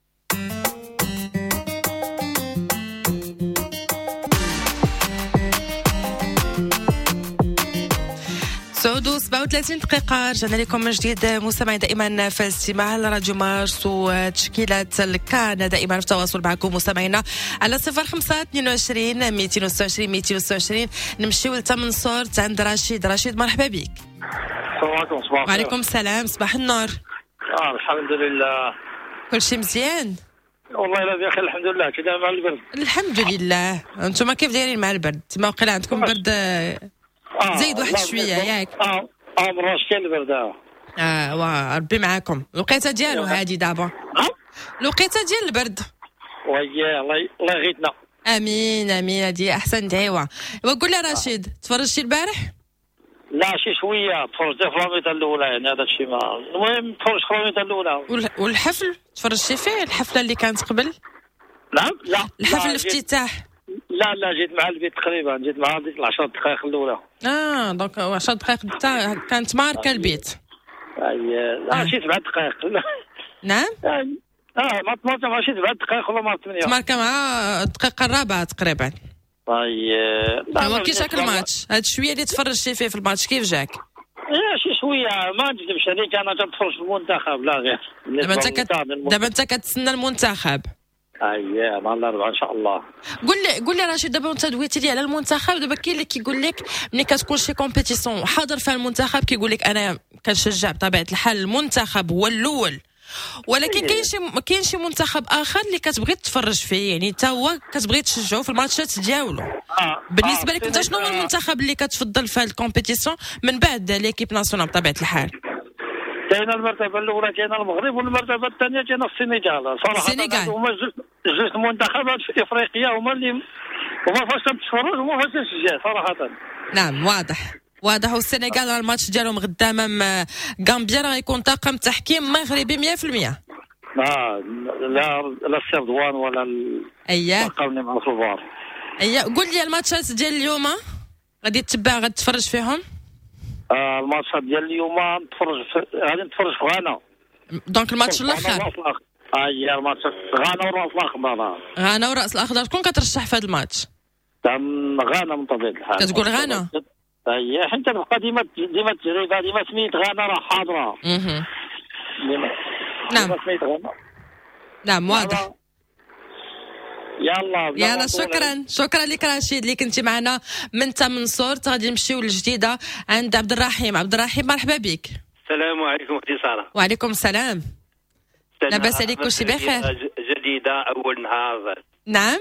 سعود 37 دقيقة، رجعنا لكم من جديد مستمعين دائما في الاستماع لراديو مارس وتشكيلة الكان، دائما في التواصل معكم مستمعينا على 05 22 226 226. نمشيو لتمنصورت عند رشيد. رشيد مرحبا بك. السلام عليكم. صباح الخير. وعليكم السلام، صباح النور. الحمد لله كل شيء مزيان والله لا بخير الحمد لله. كي داير مع البرد؟ الحمد لله. انتم كيف دايرين مع البرد؟ تما وقيلا عندكم برد زايد واحد شوية ياك؟ مراش كاين البرد. وا ربي معاكم. الوقيته ديالو هادي دابا، الوقيته ديال البرد. وياه الله يغيثنا. امين امين، هادي احسن دعوه. وقول لي رشيد، تفرجتي البارح؟ لا شي شوية تفرجت في la mi-temps الاولى، يعني هذا الشيء ما المهم تفرجت في la mi-temps الاولى. والحفل تفرجتي فيه؟ الحفلة اللي كانت قبل؟ نعم. لا الحفل الافتتاح. لا لا جيت مع البيت تقريبا، جيت مع ديك 10 دقائق الاولى. donc 10 دقائق كانت ماركة البيت. لا شي 7 دقائق. نعم. ما تماركة مع شي 7 دقائق ولا مع 8. تماركة مع الدقيقة الرابعة تقريبا. طيب هو كي جاك الماتش؟ هاد شوية اللي تفرجتي فيه في الماتش كيف جاك؟ شي شوية ما نكذبش عليك، انا كنتفرج في المنتخب لا غير. دابا انت كتسنى المنتخب. اييه مع الاربعاء ان شاء الله. قول لي رشيد، دابا انت دويتي لي على المنتخب، دابا كاين اللي كيقول لك ملي كتكون شي compétition حاضر فيها المنتخب كيقول لك انا كنشجع بطبيعة الحال المنتخب هو الاول، ولكن كاين شي منتخب اخر اللي كتبغي تتفرج فيه، يعني حتى هو كتبغي تشجعو في الماتشات ديالو. بالنسبة لك انت شنو هو المنتخب اللي كتفضل في ال compétition من بعد l'équipe nationale بطبيعة الحال؟ كاينه المرتبة الاولى كاينه المغرب، والمرتبة الثانية كاينه السنغال. صراحة السنغال هما جوج المنتخبات في افريقيا هما اللي هما فاش تتفرج هما فاش تشجع صراحة. نعم واضح واضح. والسنغال الماتش ديالهم غدا امام غامبيا راه غيكون طاقم تحكيم مغربي 100%. لا لا لا السردوان ولا اييه الطاقم مع الفار. اييه قول لي الماتشات ديال اليوم غادي تتبع، غادي تتفرج فيهم؟ الماتشات ديال اليوم غادي نتفرج في غانا. donc الماتش الاخر. اييه الماتش غانا والراس الاخضر. غانا والراس الاخضر، شكون كترشح في هذا الماتش؟ غانا من طبيعة الحال. كتقول غانا؟ اييه حيت تبقى ديما ديما التجربة، ديما سميت غانا راه حاضره. ديما. نعم ديما سميت غانا. نعم واضح. يلا يلا شكرا شكرا لك رشيد اللي كنتي معنا من تمنصورت. غادي نمشيو للجديده عند عبد الرحيم. عبد الرحيم مرحبا بك. السلام عليكم اختي ساره. وعليكم السلام. لاباس عليك؟ كلشي بخير؟ جديدة اول نهار. نعم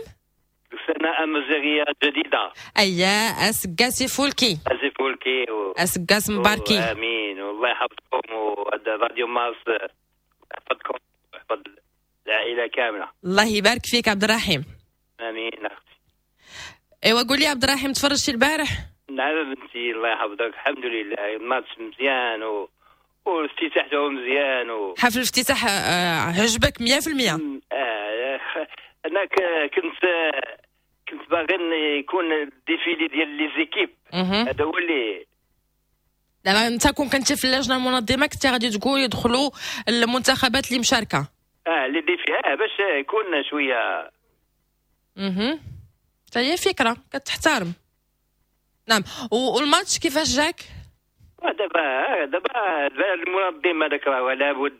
سنة امازيغيه جديدة. اييه اسكاسي فولكي. اسي فولكي اسكاس مباركي. امين والله يحفظكم، وهذا راديو مارس يحفظكم ويحفظ العائلة كاملة. الله يبارك فيك عبد الرحيم. امين اختي. ايوا قول لي عبد الرحيم، تفرجتي البارح؟ نعم بنتي الله يحفظك، الحمد لله الماتش مزيان والافتتاح هو مزيان حفل الافتتاح عجبك 100%؟ انا كنت باغي يكون ال défilé ديال les équipes، هذا هو اللي دابا انت كون كنتي في اللجنة المنظمة كنتي غادي تقول يدخلوا المنتخبات اللي مشاركة les défilés باش يكون شوية. حتى هي فكرة كتحترم. نعم. والماتش كيفاش جاك؟ دابا المنظم هذاك راه لابد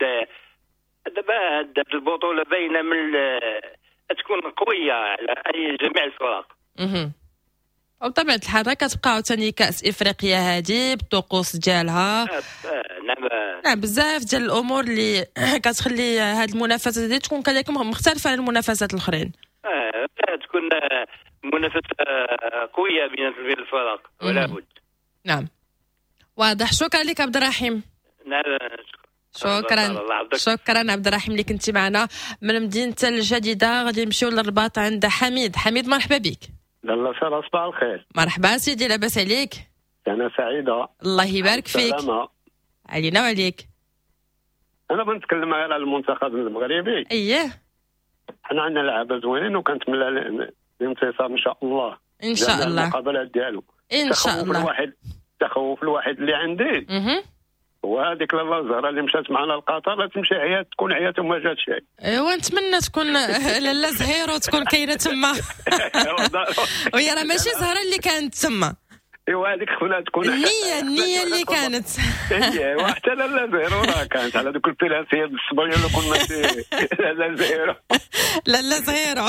دابا هاد البطولة باينة من تكون قوية على اي جميع الفرق. وبطبيعة الحال كتبقى عاوتاني كاس افريقيا هذه بالطقوس ديالها. نعم نعم بزاف ديال الامور اللي كتخلي هذه المنافسة هذه تكون كذلك مختلفة على المنافسات الاخرين. تكون منافسه قوية بين الفرق ولا بد. نعم واضح. شكرا لك عبد الرحيم. نعم شكرا شكرا عبد الرحيم اللي كنتي معنا من مدينة الجديدة. غادي نمشيو للرباط عند حميد. حميد مرحبا بك. لاله ساره صباح الخير. مرحبا سيدي، لاباس عليك؟ انا سعيدة. الله يبارك فيك. علينا وعليك. انا بنتكلم غير على المنتخب المغربي. اييه حنا عندنا لعابه زوينين وكنتمنى الانتصار ان شاء الله. ان شاء الله المقابلات ديالو ان شاء الله. التخوف الوحيد اللي عندي هو هذيك لاله زهره اللي مشات معنا لقطر تمشي عيات تكون عيات وما جاتش. ايوا نتمنى تكون لاله زهيرو تكون كاينه تما. وهي راه ماشي زهره اللي كانت تما. ايوا هذيك خفنا تكون النية اللي كانت. ايوا حتى لاله زهيرو راه كانت على دوك البيلانسيه بالصبريه اللي كنا لاله زهيرو. لاله زهيرو.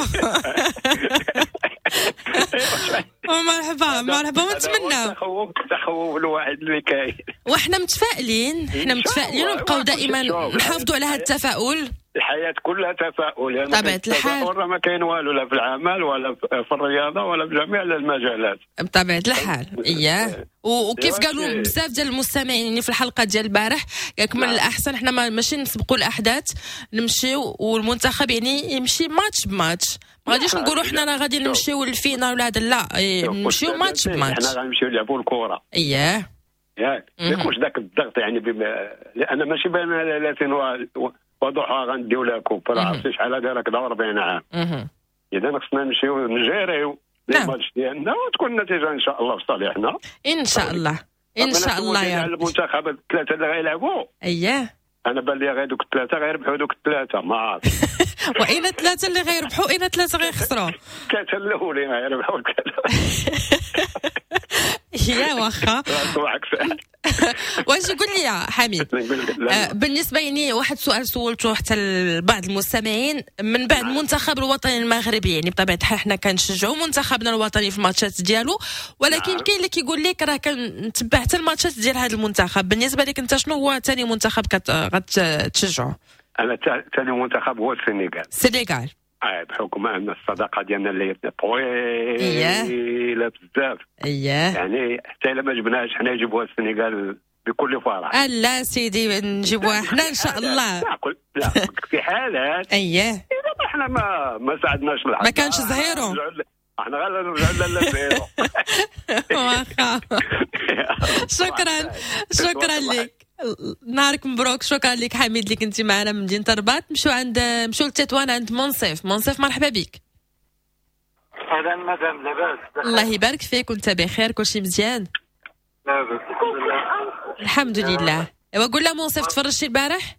مرحبا مرحبا ونتمنى التخوف الواحد اللي كاين. وحنا متفائلين، حنا متفائلين ونبقاو دائما نحافظوا على هذا التفاؤل. الحياة كلها تفاؤل يعني بطبيعة الحال. ما كاين والو لا في العمل ولا في الرياضة ولا في جميع المجالات بطبيعة الحال. اياه وكيف قالوا بزاف ديال المستمعين يعني في الحلقة ديال البارح قالك من الاحسن حنا ماشي نسبقوا الاحداث، نمشيو والمنتخب يعني يمشي match ب match. ما غاديش نقولوا حنا راه غادي نمشيو لل finale ولا هذا، لا نمشيو match ب match. حنا غنمشيو نلعبوا الكره. اياه ياك ما يكونش ذاك الضغط يعني لان ماشي بين 30 وضحى غنديو la coupe راه عرفتي شحال هذا راك 40 عام. اذا خصنا نمشيو نجيريو الماتش ديالنا وتكون النتيجة ان شاء الله في صالحنا ان شاء الله. ان شاء الله يا رب. المنتخب الثلاثة اللي غيلعبوا اييه انا بان لي غير دوك الثلاثة غيربحوا دوك الثلاثة ما عارف. واين الثلاثة اللي غيربحوا واين الثلاثة غيخسروا؟ الثلاثة الاولين غيربحوا الثلاثة. يا واخا واش قول لي يا حميد، بالنسبة يعني واحد السؤال سولته حتى لبعض المستمعين من بعد المنتخب الوطني المغربي، يعني بطبيعة الحال حنا كنشجعوا منتخبنا الوطني في الماتشات ديالو، ولكن كاين اللي كيقول لك راه كنتبع حتى الماتشات ديال هذا المنتخب. بالنسبة لك انت شنو هو ثاني منتخب غتشجعه؟ انا ثاني منتخب هو السنغال. السنغال بحكم ان الصداقة ديالنا اللي طويلة بزاف، يعني حتى الا ما جبناهاش حنا يجيبوها السنغال بكل فرح. لا سيدي نجيبوها حنا ان شاء الله. لا في حالات اذا حنا ما ساعدناش الحظ، ما كانش زهيرو، احنا غير نرجعوا لا زهيرو. واخا شكرا شكرا لك، نهارك مبروك. شكرا لك حميد اللي كنتي معنا من مدينة الرباط. مشوا لتطوان عند منصف. منصف مرحبا بك. اهلا مدام، لاباس؟ الله يبارك فيك، وانت بخير؟ كلشي مزيان؟ لاباس الحمد لله. الحمد لله. ايوا قول لها منصف، تفرجتي البارح؟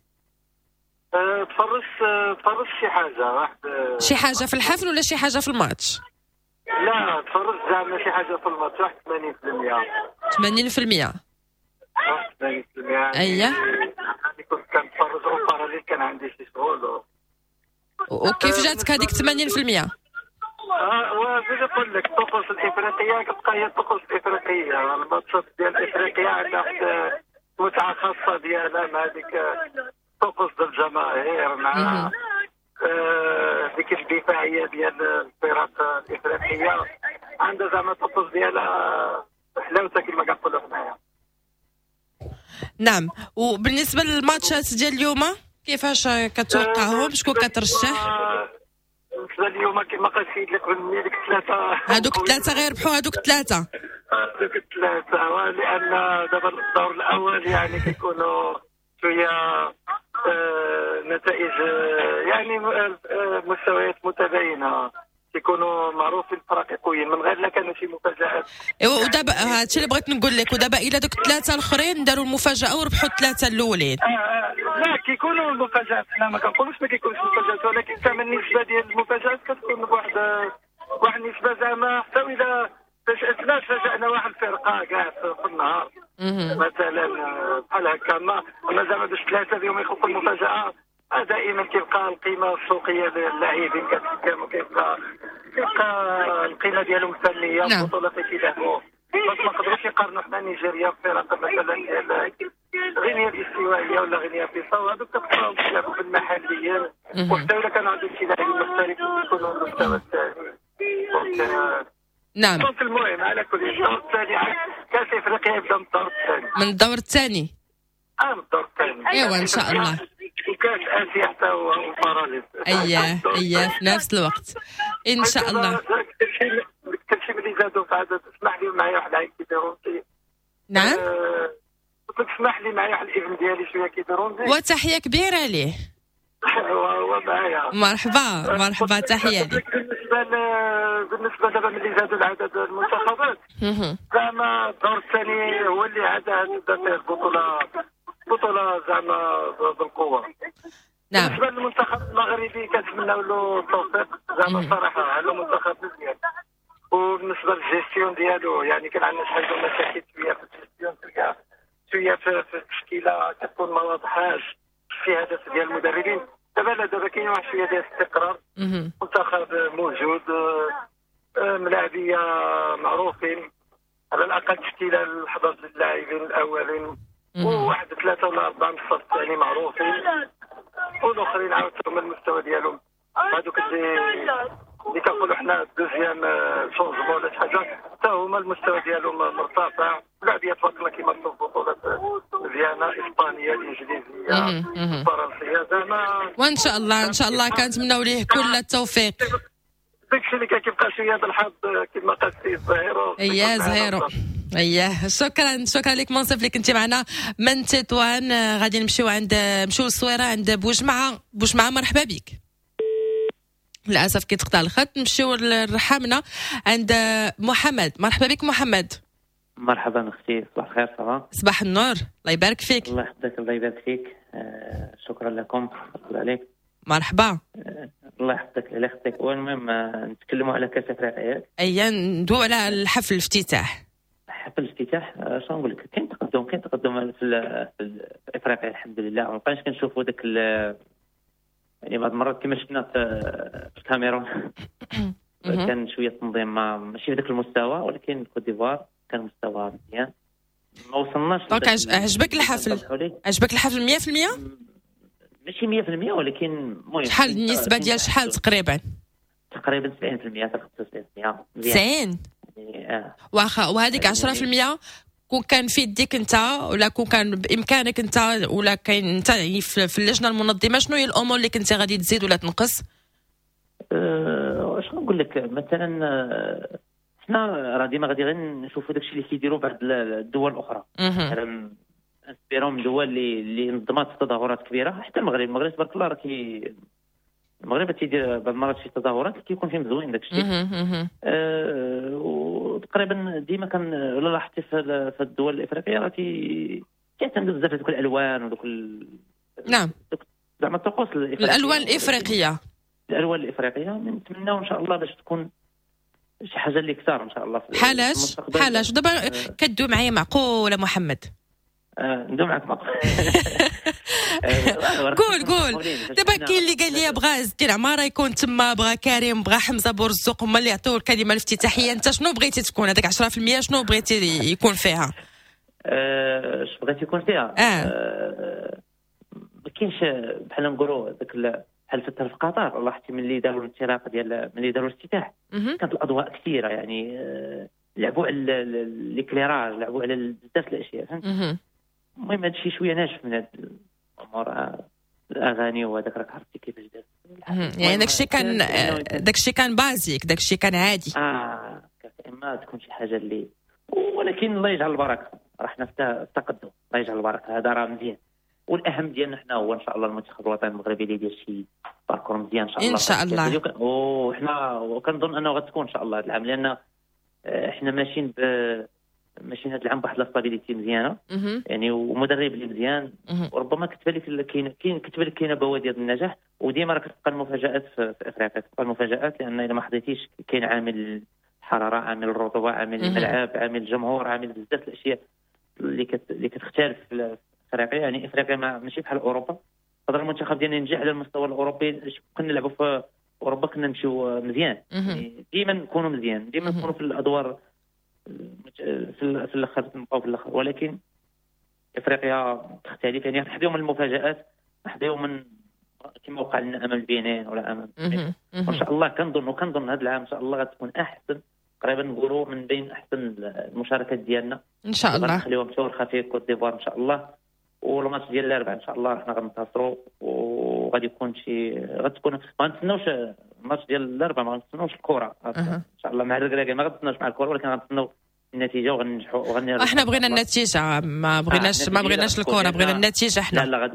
تفرجت شي حاجة، واحد شي حاجة في الحفل ولا شي حاجة في الماتش؟ لا تفرجت زعما شي حاجة في الماتش، واحد 80%. 80%. 80%. اييه يعني كنت كنتفرج en parallèle، كان عندي شي شغل. وكيف جاتك هذيك 80%؟ واش نقول لك، الطقوس الافريقية كتبقى هي الطقوس الافريقية. الماتشات ديال افريقيا عندها واحد متعه خاصة ديالها مع ديك الطقوس ديال الجماهير، مع ديك الدفاعية ديال الفرق الافريقية، عندها زعما الطقوس ديالها حلاوتها كما كنقولوا حنايا. نعم. وبالنسبة للماتشات ديال اليوم كيفاش كتوقعهم؟ شكون كترشح؟ بالنسبة اليوم كما قال السيد اللي قبل مني، ديك الثلاثة، هذوك الثلاثة غيربحوا، هذوك الثلاثة هذوك الثلاثة، لان دابا الدور الاول يعني كيكونوا شوية نتائج يعني مستويات متباينة، كيكونوا معروفين الفرق قويين من غير لا كانوا شي مفاجآت. ايوا ودابا هادشي اللي بغيت نقول لك، ودابا الا دوك الثلاثة الاخرين داروا المفاجاة وربحوا الثلاثة الاولين. لا كيكونوا المفاجآت، حنا ما كنقولوش ما كيكونش مفاجآت، ولكن زعما النسبة ديال المفاجآت كتكون بواحد النسبة زعما حتى اذا فاجأتنا فاجأنا واحد الفرقة كاع في النهار مثلا بحال هكا. ما زعما باش ثلاثة اليوم يخلقوا المفاجاة، دائما كيبقى القيمة السوقية للاعبين كتحكم، وكيبقى القيمة ديالهم الفنية. البطولة اللي كيلعبوا باش ما نقدروش يقارنوا حنا نيجيريا بفرق مثلا ديال غينيا الاستوائيه ولا غينيا بيساو، هذوك كتلقاهم كيلعبوا في المحليين، وحتى الا كان عندهم شي لاعبين محترفين كيكونوا المستوى الثاني. نعم. المهم على كل الدور الثاني كاس افريقيا يبدا من الدور الثاني. من الدور الثاني؟ من الدور الثاني. ايوا ان شاء الله. وكاس اسيا حتى هو parallèle. اييه في نفس الوقت ان شاء الله. كلشي ملي زادوا في عدد، اسمح لي معايا واحد العيب كي déranger. نعم. قلت لك اسمح لي معايا واحد الابن ديالي شوية كي déranger. وتحية كبيرة ليه. هو معايا. مرحبا مرحبا، تحية لك. بالنسبة دابا ملي زادوا العدد المنتخبات، زعما الدور الثاني هو اللي عاد تبدا فيه البطولة زعما بالقوة. نعم. بالنسبة للمنتخب المغربي كنتمناو له التوفيق زعما الصراحة، على منتخب مزيان. وبالنسبة للجيستيون ديالو يعني كان عندنا شحال ديال المشاكل شوية في الجيستيون، تلقى شوية في التشكيلة كتكون ما واضحاش في هدف ديال المدربين. دابا لا، دابا كاين واحد شوية ديال الاستقرار، منتخب موجود، ملاعبيه معروفين، على الاقل تشكيله ل 11 اللاعبين الاولين، وواحد 3 ولا 4 من الصف الثاني معروفين، والاخرين عاودتهم المستوى ديالهم. هذوك اللي كنقولوا حنا deuxième changement ولا شي حاجة، حتى هما المستوى ديالهم مرتفع. لاعبيه تبارك الله كيمارسوا بطولات مزيانه، اسبانية، الانجليزية، الفرنسية زعما. وان شاء الله ان شاء الله كنتمناو ليه كل التوفيق. داكشي اللي كان كيبقى شوية بالحظ كما قال السيد زهيرو. اييه زهيرو، اييه. شكرا شكرا لك منصف اللي كنتي معنا من تطوان. غادي نمشيو عند نمشيو للصويره عند بوجمعه. بوجمعه مرحبا بك. للاسف كيتقطع الخط. نمشيو للرحامنه عند محمد. مرحبا بك محمد. مرحبا اختي، صباح الخير. ça va؟ صباح النور، الله يبارك فيك. الله يحفظك، الله يبارك فيك. شكرا لكم، الله عليك. مرحبا. الله يحفظك، الله يخليك. والمهم نتكلموا على كاس افريقيا. ايا ندوي على الحفل الافتتاح. حفل الافتتاح، شنو نقول لك، كاين تقدم، كاين تقدم في افريقيا الحمد لله. ما بقيناش كنشوفوا داك يعني بعض المرات كما شفنا في الكاميرون كان شوية التنظيم ماشي في ذاك المستوى، ولكن كوت ديفوار كان مستوى مزيان، ما وصلناش. donc عجبك الحفل؟ عجبك الحفل 100%؟ ماشي 100% ولكن المهم شحال النسبة ديال شحال تقريبا؟ تقريبا 70% حتى 75%. 90 يعني واخا، وهذيك 10% كون كان في يديك انت ولا كون كان بامكانك انت ولا كاين انت يعني في اللجنة المنظمة، شنو هي الامور اللي كنتي غادي تزيد ولا تنقص؟ شنو نقول لك، مثلا حنا راه ديما غادي غير نشوفوا داكشي اللي كيديروا بعض الدول الاخرى، مثلا inspirons من دول اللي نظمات تظاهرات كبيرة. حتى المغرب تبارك الله راه المغرب تيدير بعض المرات شي تظاهرات اللي كيكون فيهم زوين داك الشيء. وتقريبا ديما كان ولا لاحظتي في الدول الافريقية راه كيعتمدوا بزاف دوك الالوان ودوك نعم زعما الطقوس الالوان الافريقية. الالوان الافريقية نتمناو ان شاء الله باش تكون شي حاجة اللي كثار ان شاء الله. بحالاش بحالاش دابا كدوي معايا معقولة محمد؟ ندوي معاك معقول. قول قول دابا كاين اللي قال لي بغا عز الدين عمارة يكون تما، بغا كريم، بغا حمزة بورزوق، هما اللي يعطيو الكلمة الافتتاحيه. انت شنو بغيتي تكون هذاك 10%؟ شنو بغيتي يكون فيها؟ اش بغيتي يكون فيها؟ ما كاينش بحال نقولوا داك بحال في قطر، لاحظتي ملي داروا الانطلاق ديال ملي داروا الافتتاح كانت الاضواء كثيرة، يعني لعبوا على l'éclairage، لعبوا على بزاف الاشياء، فهمت؟ المهم هذا الشيء شوية ناشف من هاد الامور، الاغاني وهذاك راك عرفتي كيفاش دار. يعني داكشي كان basique، داكشي كان عادي. اما تكون شي حاجة اللي، ولكن الله يجعل البركة، راه حنا في التقدم، الله يجعل البركة، هذا راه مزيان. والاهم ديالنا حنا هو ان شاء الله المنتخب الوطني المغربي اللي يدير شي parcours مزيان ان شاء الله. ان شاء الله. وحنا وكنظن انه غتكون ان شاء الله هذا العام، لان حنا ماشيين ماشيين هذا العام بواحد la stabilité مزيانه، يعني ومدرب اللي مزيان، وربما كتبان لك كاين كتبان لك كاينه بوادر النجاح. وديما راه كتبقى المفاجات في افريقيا، كتبقى المفاجات، لان الا ما حضيتيش كاين عامل الحرارة، عامل الرطوبة، عامل الملعب، عامل الجمهور، عامل بزاف الاشياء اللي كتختلف في افريقيا. يعني افريقيا ماشي بحال اوروبا. قدر المنتخب ديالنا ينجح على المستوى الاوروبي، كنا نلعبوا في اوروبا كنا نمشيو مزيان، يعني ديما نكونوا مزيان، ديما نكونوا في الادوار في الاخر، نبقاو في الاخر. ولكن افريقيا تختلف، يعني نحظيو من المفاجات، نحظيو من كما وقع لنا امام البنين ولا امام، وان شاء الله كنظن هذا العام ان شاء الله غتكون احسن، تقريبا نقولوا من بين احسن المشاركات ديالنا ان شاء الله. نخليوهم مشاور خفيف كوت ديفوار ان شاء الله، والماتش ديال الاربعاء ان شاء الله حنا غننتصروا، وغادي يكون شي غتكون ما غنتسناوش الماتش ديال الاربعاء، ما غنتسناوش الكره ان شاء الله مع الركراكي، ما غنتسناوش مع الكره، ولكن غنتسناو النتيجة وغننجحوا وغنربحوا. احنا بغينا النتيجة، ما بغيناش الكره، بغينا النتيجة حنا. لا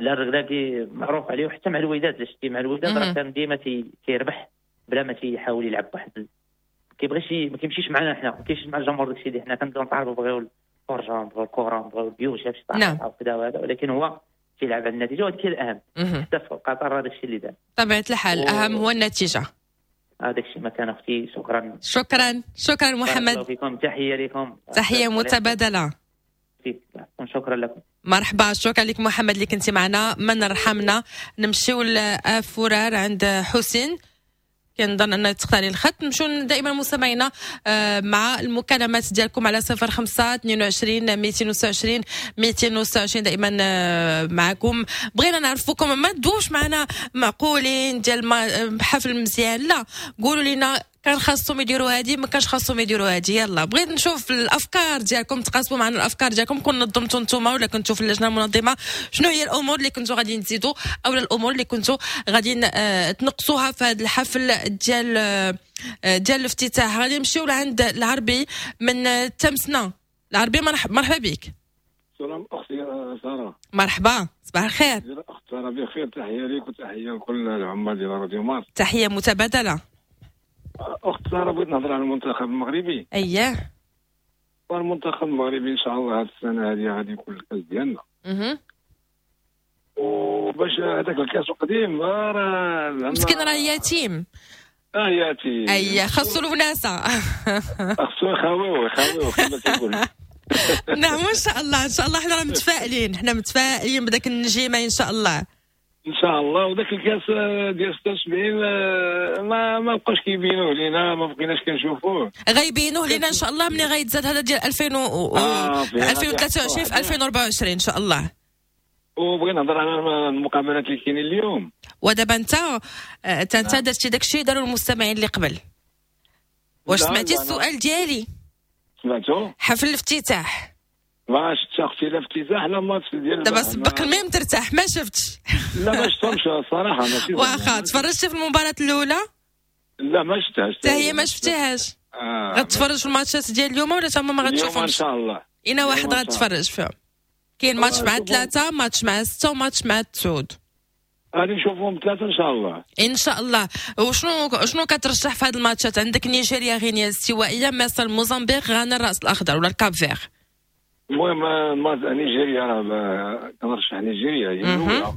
لا الركراكي معروف عليه، وحتى مع الوداد، لا شتي مع الوداد راه كان ديما تيربح بلا ما تيحاول يلعب واحد، كيبغيش ما كيمشيش معنا حنا، ما كيمشيش مع الجمهور داكشي اللي حنا كنبداو نطالبوا، بغيو الفرجة، نبغيو الكره، نبغيو البيوت، شي طالع وكذا وهذا، ولكن هو تيلعب على النتيجة، وهذا الأهم. حتى في قطر هذا الشيء اللي دار. طبيعة الحال الأهم هو النتيجة. هذاك الشيء ما كان أختي. شكرا شكرا شكرا محمد. فيكم تحية لكم. تحية متبادلة. شكرا لكم. مرحبا، شكرا لك محمد اللي كنتي معنا من رحمنا. نمشيو لأفورار عند حسين، كنظن ان تختاري الخط. نمشيو دائما مستمعينا مع المكالمات ديالكم على 05 22 226 226 دائما معكم. بغينا نعرفوكم، ما تدوش معنا معقولين ديال حفل مزيان، لا قولوا لنا كان خاصهم يديروا هادي، ما كانش خاصهم يديروا هادي. يلا بغيت نشوف الافكار ديالكم، تقاسموا معنا الافكار ديالكم. كون نظمتوا نتوما ولا كنتوا في اللجنة المنظمة، شنو هي الامور اللي كنتوا غادي تزيدوا او الامور اللي كنتوا غادي تنقصوها في هذا الحفل ديال الافتتاح؟ غادي نمشيو لعند العربي من تمسنا. العربي مرحبا بك. سلام اختي ساره. مرحبا، صباح الخير. اخت ساره بخير، تحية لك وتحية لكل العمال ديال راديو مارس. تحية متبادلة. اخت ساره بغيت نهضر على المنتخب المغربي. اييه، المنتخب المغربي ان شاء الله هذه السنة هذه غادي يكون الكاس ديالنا. وباش هذاك الكاس القديم راه مسكين راه يتيم. ياتي اي خاصو الوناسه، خاصو يخاويو كما تيقول. نعم ان شاء الله، ان شاء الله حنا راه متفائلين، حنا متفائلين بداك النجيمه ان شاء الله. ان شاء الله. وداك الكاس ديال 76 ما بقاش كيبينوه لينا، ما بقيناش كنشوفوه. غيبينوه لينا ان شاء الله ملي غيتزاد هذا ديال 2023 في 2024 ان شاء الله. وبغينا نهضر على المقابلات اللي كاينين اليوم. ودابا انت درتي داكشي داروا المستمعين اللي قبل. واش سمعتي السؤال ديالي؟ سمعتو؟ حفل الافتتاح. ما شفتش اختي لا افتتاح لا ماتش ديال دابا سبق المهم ترتاح. ما شفتش؟ لا ما شفتهمش الصراحة. ماشي واخا تفرجتي في المباراة الاولى؟ لا ما شفتهاش. حتى هي ما شفتيهاش؟ غتفرج في الماتشات ديال اليوم ولا تما ما غتشوفهمش؟ ان شاء الله. اين واحد غتفرج فيهم؟ كاين ماتش مع 3، ماتش مع 6، وماتش مع 9. غادي نشوفهم 3 ان شاء الله. ان شاء الله. وشنو كترشح في هذه الماتشات؟ عندك نيجيريا، غينيا الاستوائيه، مصر، الموزمبيق، غانا، الراس الاخضر ولا الكاب فير. المهم نيجيريا راه كنرشح نيجيريا هي الاولى.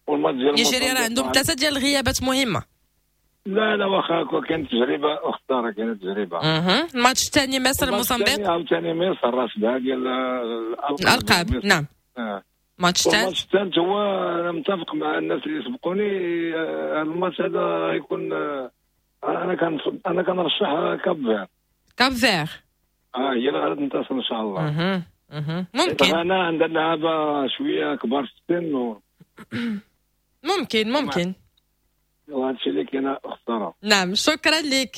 والماتش ديال نيجيريا راه عندهم 3 ديال الغيابات مهمة. لا لا واخا كانت تجربه اخت، راه كانت تجربه. الماتش الثاني مصر الموزمبيق، عاوتاني مصر راه 7 ديال الالقاب. نعم. الماتش الثالث، الماتش الثالث هو انا متفق مع الناس اللي سبقوني. الماتش هذا غيكون انا كنرشح كاب فير. كاب فير هي اللي غادي تنتصر ان شاء الله. ممكن. انا عندنا لعابه شوية كبار في السن ممكن. وهادشي اللي كاين اخت. نعم شكرا لك.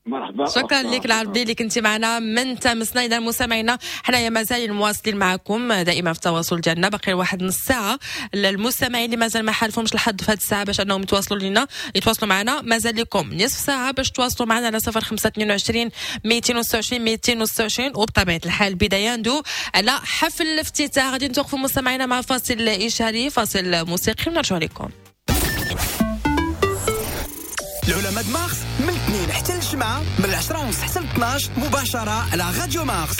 مرحبا. شكرا لك العربي اللي كنتي معنا من تامسنا. اذا مستمعينا حنايا مازال مواصلين معكم دائما في التواصل ديالنا، باقي واحد نص ساعة للمستمعين اللي مازال ما حالفهمش الحظ في هذه الساعة باش انهم يتواصلوا لنا، يتواصلوا معنا. مازال لكم نصف ساعة باش تواصلوا معنا على 0522 226 226. وبطبيعة الحال بداية ندو على حفل الافتتاح. غادي نتوقفوا مستمعينا مع فاصل اشهاري، فاصل موسيقي، ونرجع لكم. العلماء مارس من الاثنين حتى الجمعة من 10:30 حتى 12 مباشرة على راديو مارس.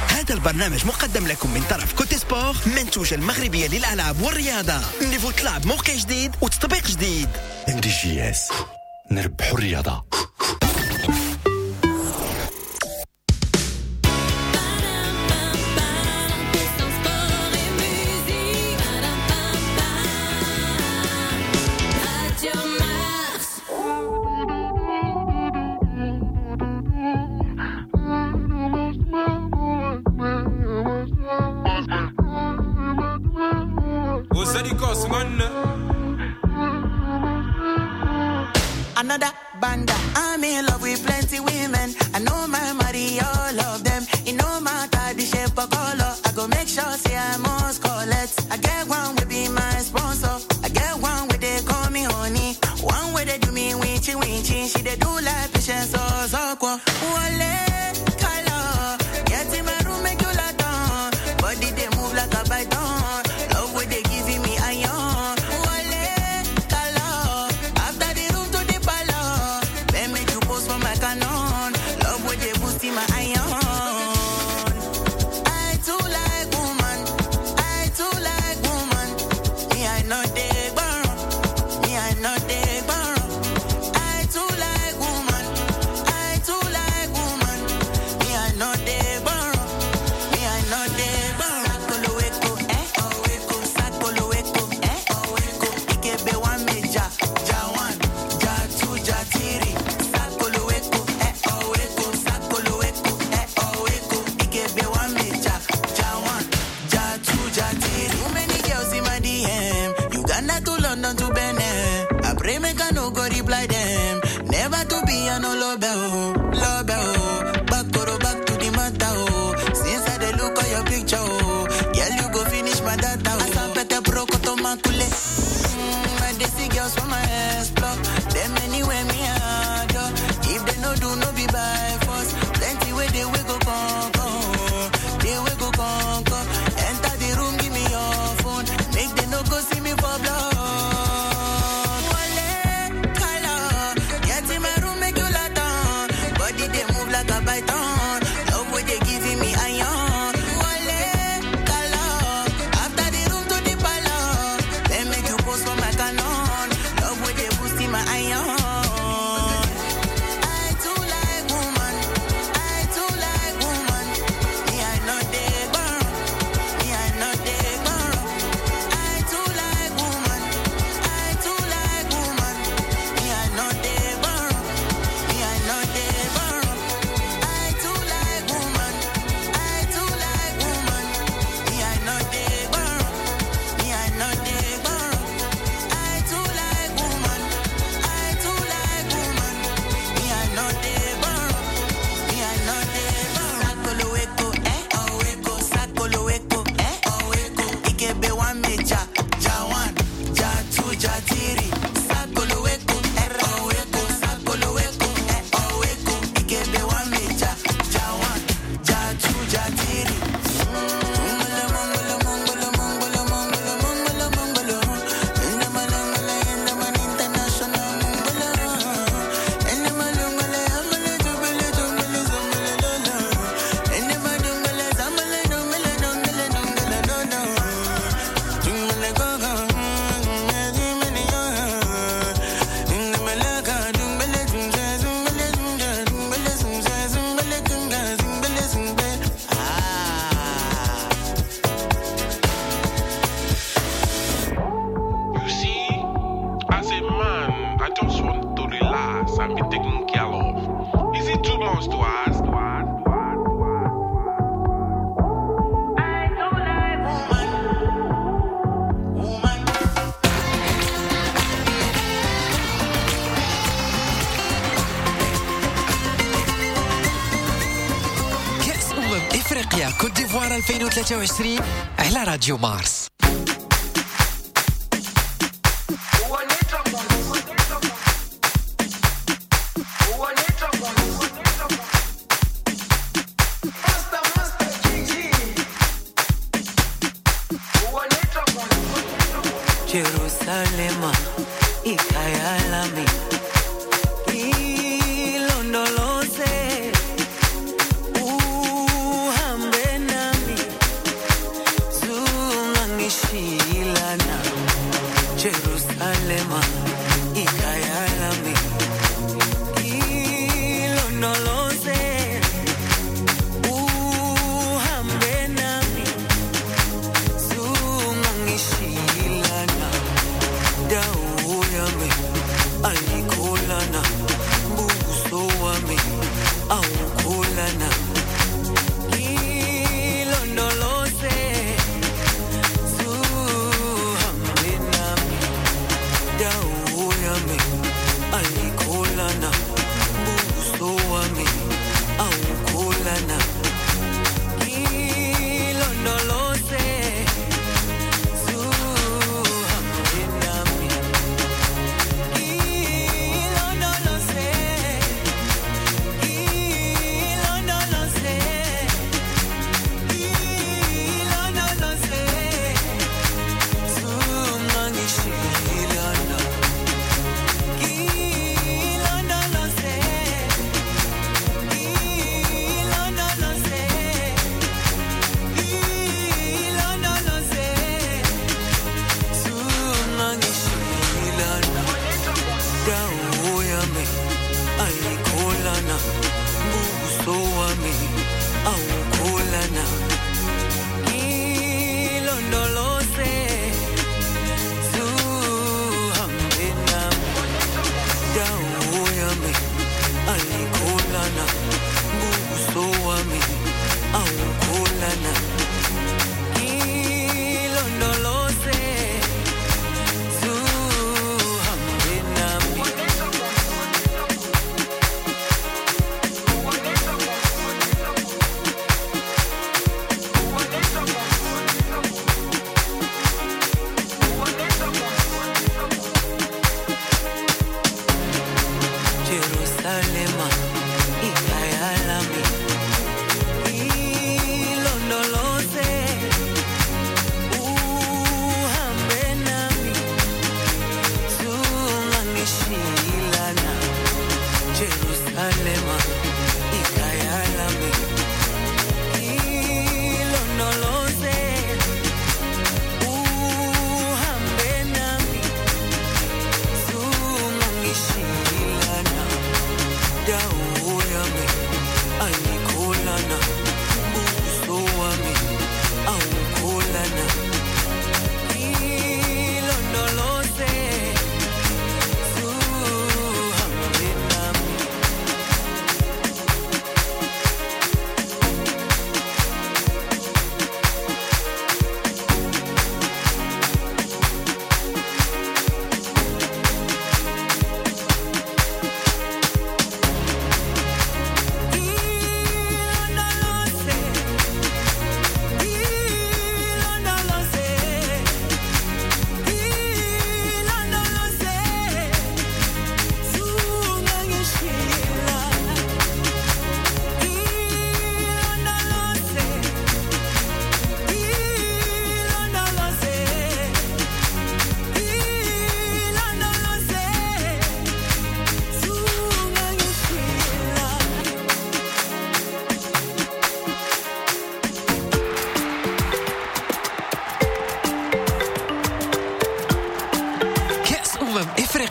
هذا البرنامج مقدم لكم من طرف كوتي سبور، منتوجة المغربية للألعاب والرياضة. niveau طلع بموقع جديد وتطبيق جديد. MDJS نربحوا الرياضة. Another banda. I'm in love with plenty women. I know my money, all of them. It no matter the shape or color. I go make sure say I must collect. I get one will be my sponsor. I get one where they call me honey. One where they do me winchy winchy. She they do like patience so so. Wale color. Get in my room make you lot on. Body they move like a python. Love where they giving me iron. Wale color. After the room to the palace. Then make you post for my canon. Love where they boosting my iron. I too like woman. I too like woman. Me I know they borrow. Me I know they borrow. I too like woman. I too like woman. Me I know they borrow. Me I know they borrow. Sakolo eko eh oh eko. Sakolo eko eh oh eko. Ikebe one major, ja one, ja two, ja three. Sakolo eko eh oh eko. Sakolo eko eh oh eko. Ikebe one major, ja one, ja two, ja three. Too many girls in my DM. Uganda to London to Benin. I pray make I no go reply them. Never to be a no love oh, love oh. Back to back to the matter oh. Since I dey look at your picture oh, girl you go finish my data oh. Asapete broko to makule. I dey see girls from my ass block. Them anywhere me adore. If they no do no be by force. Plenty way they will go conquer. They will go conquer. Enter the room, give me your phone. Make they no go see me for blood. Wale color. one major, ja one, ja two, ja three. Sakolo weko, ero weko, sakolo weko, ero weko. Ikebe one major, ja one, ja two, ja three. You see, as a man, I just want to relax and be taken care of. Is it too much to ask? كأس أمم إفريقيا كوت ديفوار 2023 على راديو مارس. Jerusalema ikhaya lami ilondoloze uhambe nami zungangishilana. Jerusalema ikhaya lami ilondoloze uhambe nami zungangishilana. Dawo yami ayikholana, buso wami awukholana. Ilondoloze zuhambe nami. Dawo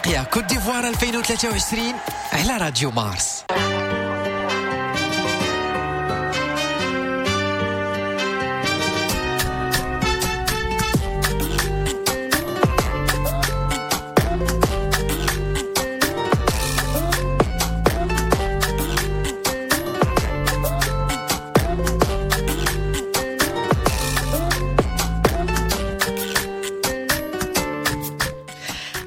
افريقيا كوت ديفوار 2023 على راديو مارس.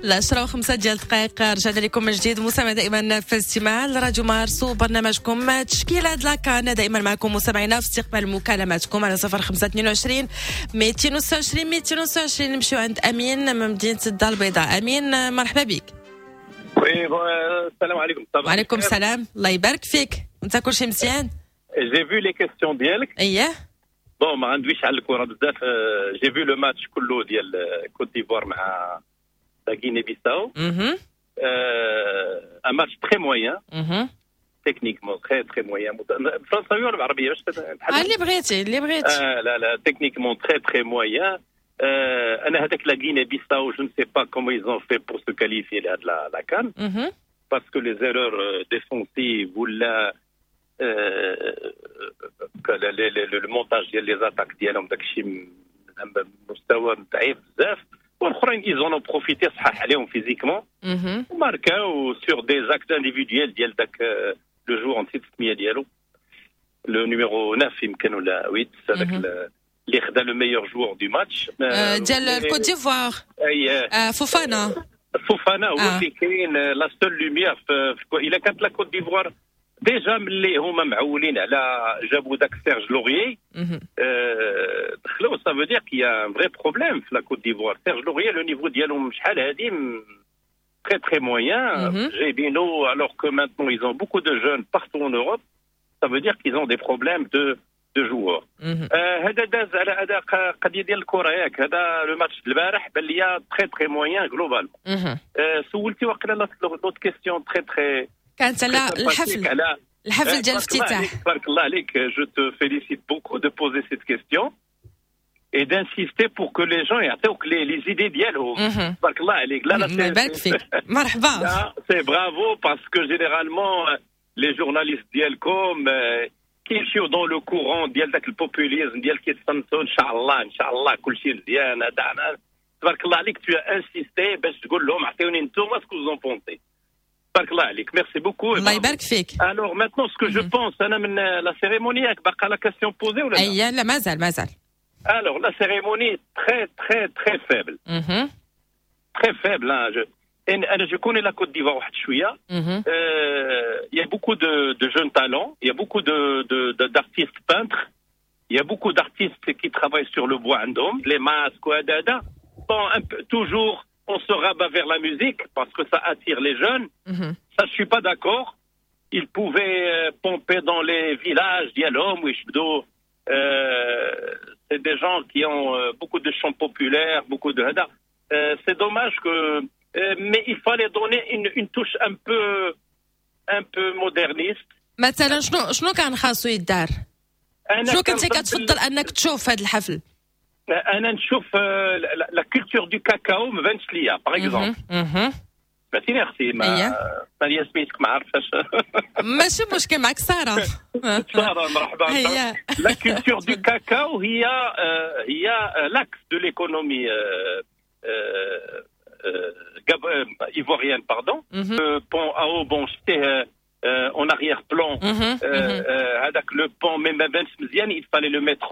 العشرة وخمسة ديال الدقائق، رجعنا لكم من جديد مستمع دائما في الاستماع لراديو مارس وبرنامجكم تشكيلة la CAN. دائما معكم مستمعينا في استقبال مكالماتكم على 0522 226 226. نمشيو عند أمين من مدينة الدار البيضاء. أمين مرحبا بك. oui السلام عليكم. وعليكم السلام، الله يبارك فيك. وانت كلشي مزيان؟ j'ai vu les questions ديالك. اييه bon ما غندويش على الكره بزاف. j'ai vu le match كله ديال كوت ديفوار مع la Guinée-Bissau. Un match très moyen. Techniquement très très moyen. بالفرنساوية ولا بالعربية باش اللي بغيتي اللي بغيتي. لا لا techniquement très très moyen. انا هذاك la Guinée-Bissau je ne sais pas comment ils ont fait pour se qualifier لهاد la CAN. Parce que les erreurs défensives ولا le montage ديال les attaques ديالهم داكشي مستوى ضعيف بزاف. والاخرين ils en ont profité صحاح عليهم physiquement وماركاو sur des actes individuels ديال داك le joueur نسيت السمية ديالو le numéro 9 يمكن ولا 8 هذاك اللي خدا le meilleur joueur du match ديال الكوت ديفوار. اي فوفانا. فوفانا هو اللي كاين la seule lumière. الا كانت la Côte d'Ivoire déjà ملي هما معولين على جابوا داك سيرج لوريي دخلوا، ça veut dire qu'il y a un vrai problème في la Côte d'Ivoire. سيرج لوريي le niveau ديالهم شحال هادي très très moyen جايبينو alors que maintenant ils ont beaucoup de jeunes partout en Europe, ça veut dire qu'ils ont des problèmes de joueurs. هذا داز على هذا قضية ديال الكره ياك. هذا le match البارح بان ليا très très moyen globalement. سولتي وقيلا l'autre question très très كانت على الحفل ديال الافتتاح. تبارك الله عليك. je te félicite beaucoup de poser cette question et d'insister pour que les gens يعطيوك les idées ديالهم. تبارك الله عليك. لا لا الله يبارك فيك. مرحبا. c'est bravo parce que généralement les journalistes ديالكم كيمشيو dans le courant ديال داك ال populisme ديال كيتصنتو ان شاء الله ان شاء الله كلشي مزيان. هذا تبارك الله عليك tu as insisté باش تقول لهم عطيوني نتوما ce que vous en pensez. تبارك الله عليك. merci beaucoup. الله يبارك فيك. alors maintenant ce que je pense انا من la cérémonie باقا la question posée ولا اي لا مازال مازال. alors la cérémonie très très très faible. très faible. انا je connais la Côte d'Ivoire واحد شوية. il y a beaucoup de jeunes talents, il y a beaucoup d'artistes peintres, il y a beaucoup d'artistes qui travaillent sur le bois عندهم les masques وهذا. Bon, toujours on se rabat vers la musique parce que ça attire les jeunes. Ça, je suis pas d'accord. Ils pouvaient pomper dans les villages ديالهم ويشدوا. C'est des gens qui ont beaucoup de chants populaires, beaucoup de هذا. C'est dommage que mais il fallait donner une touche un peu moderniste. مثلا شنو كان خاصو يدار؟ شنو كنتي كتفضل انك تشوف هذا الحفل؟ انا نشوف la culture du cacao ما بانش ليا par exemple. سمعتيني اختي؟ ما هي سميتك ما عرفتش. ماشي مشكل معك ساره. ساره مرحبا. la culture du cacao هي l'axe de l'économie ivoirienne, pardon. Pont à haubans, c'était en arrière-plan. هذاك le pont même ما بانش مزيان, il fallait le mettre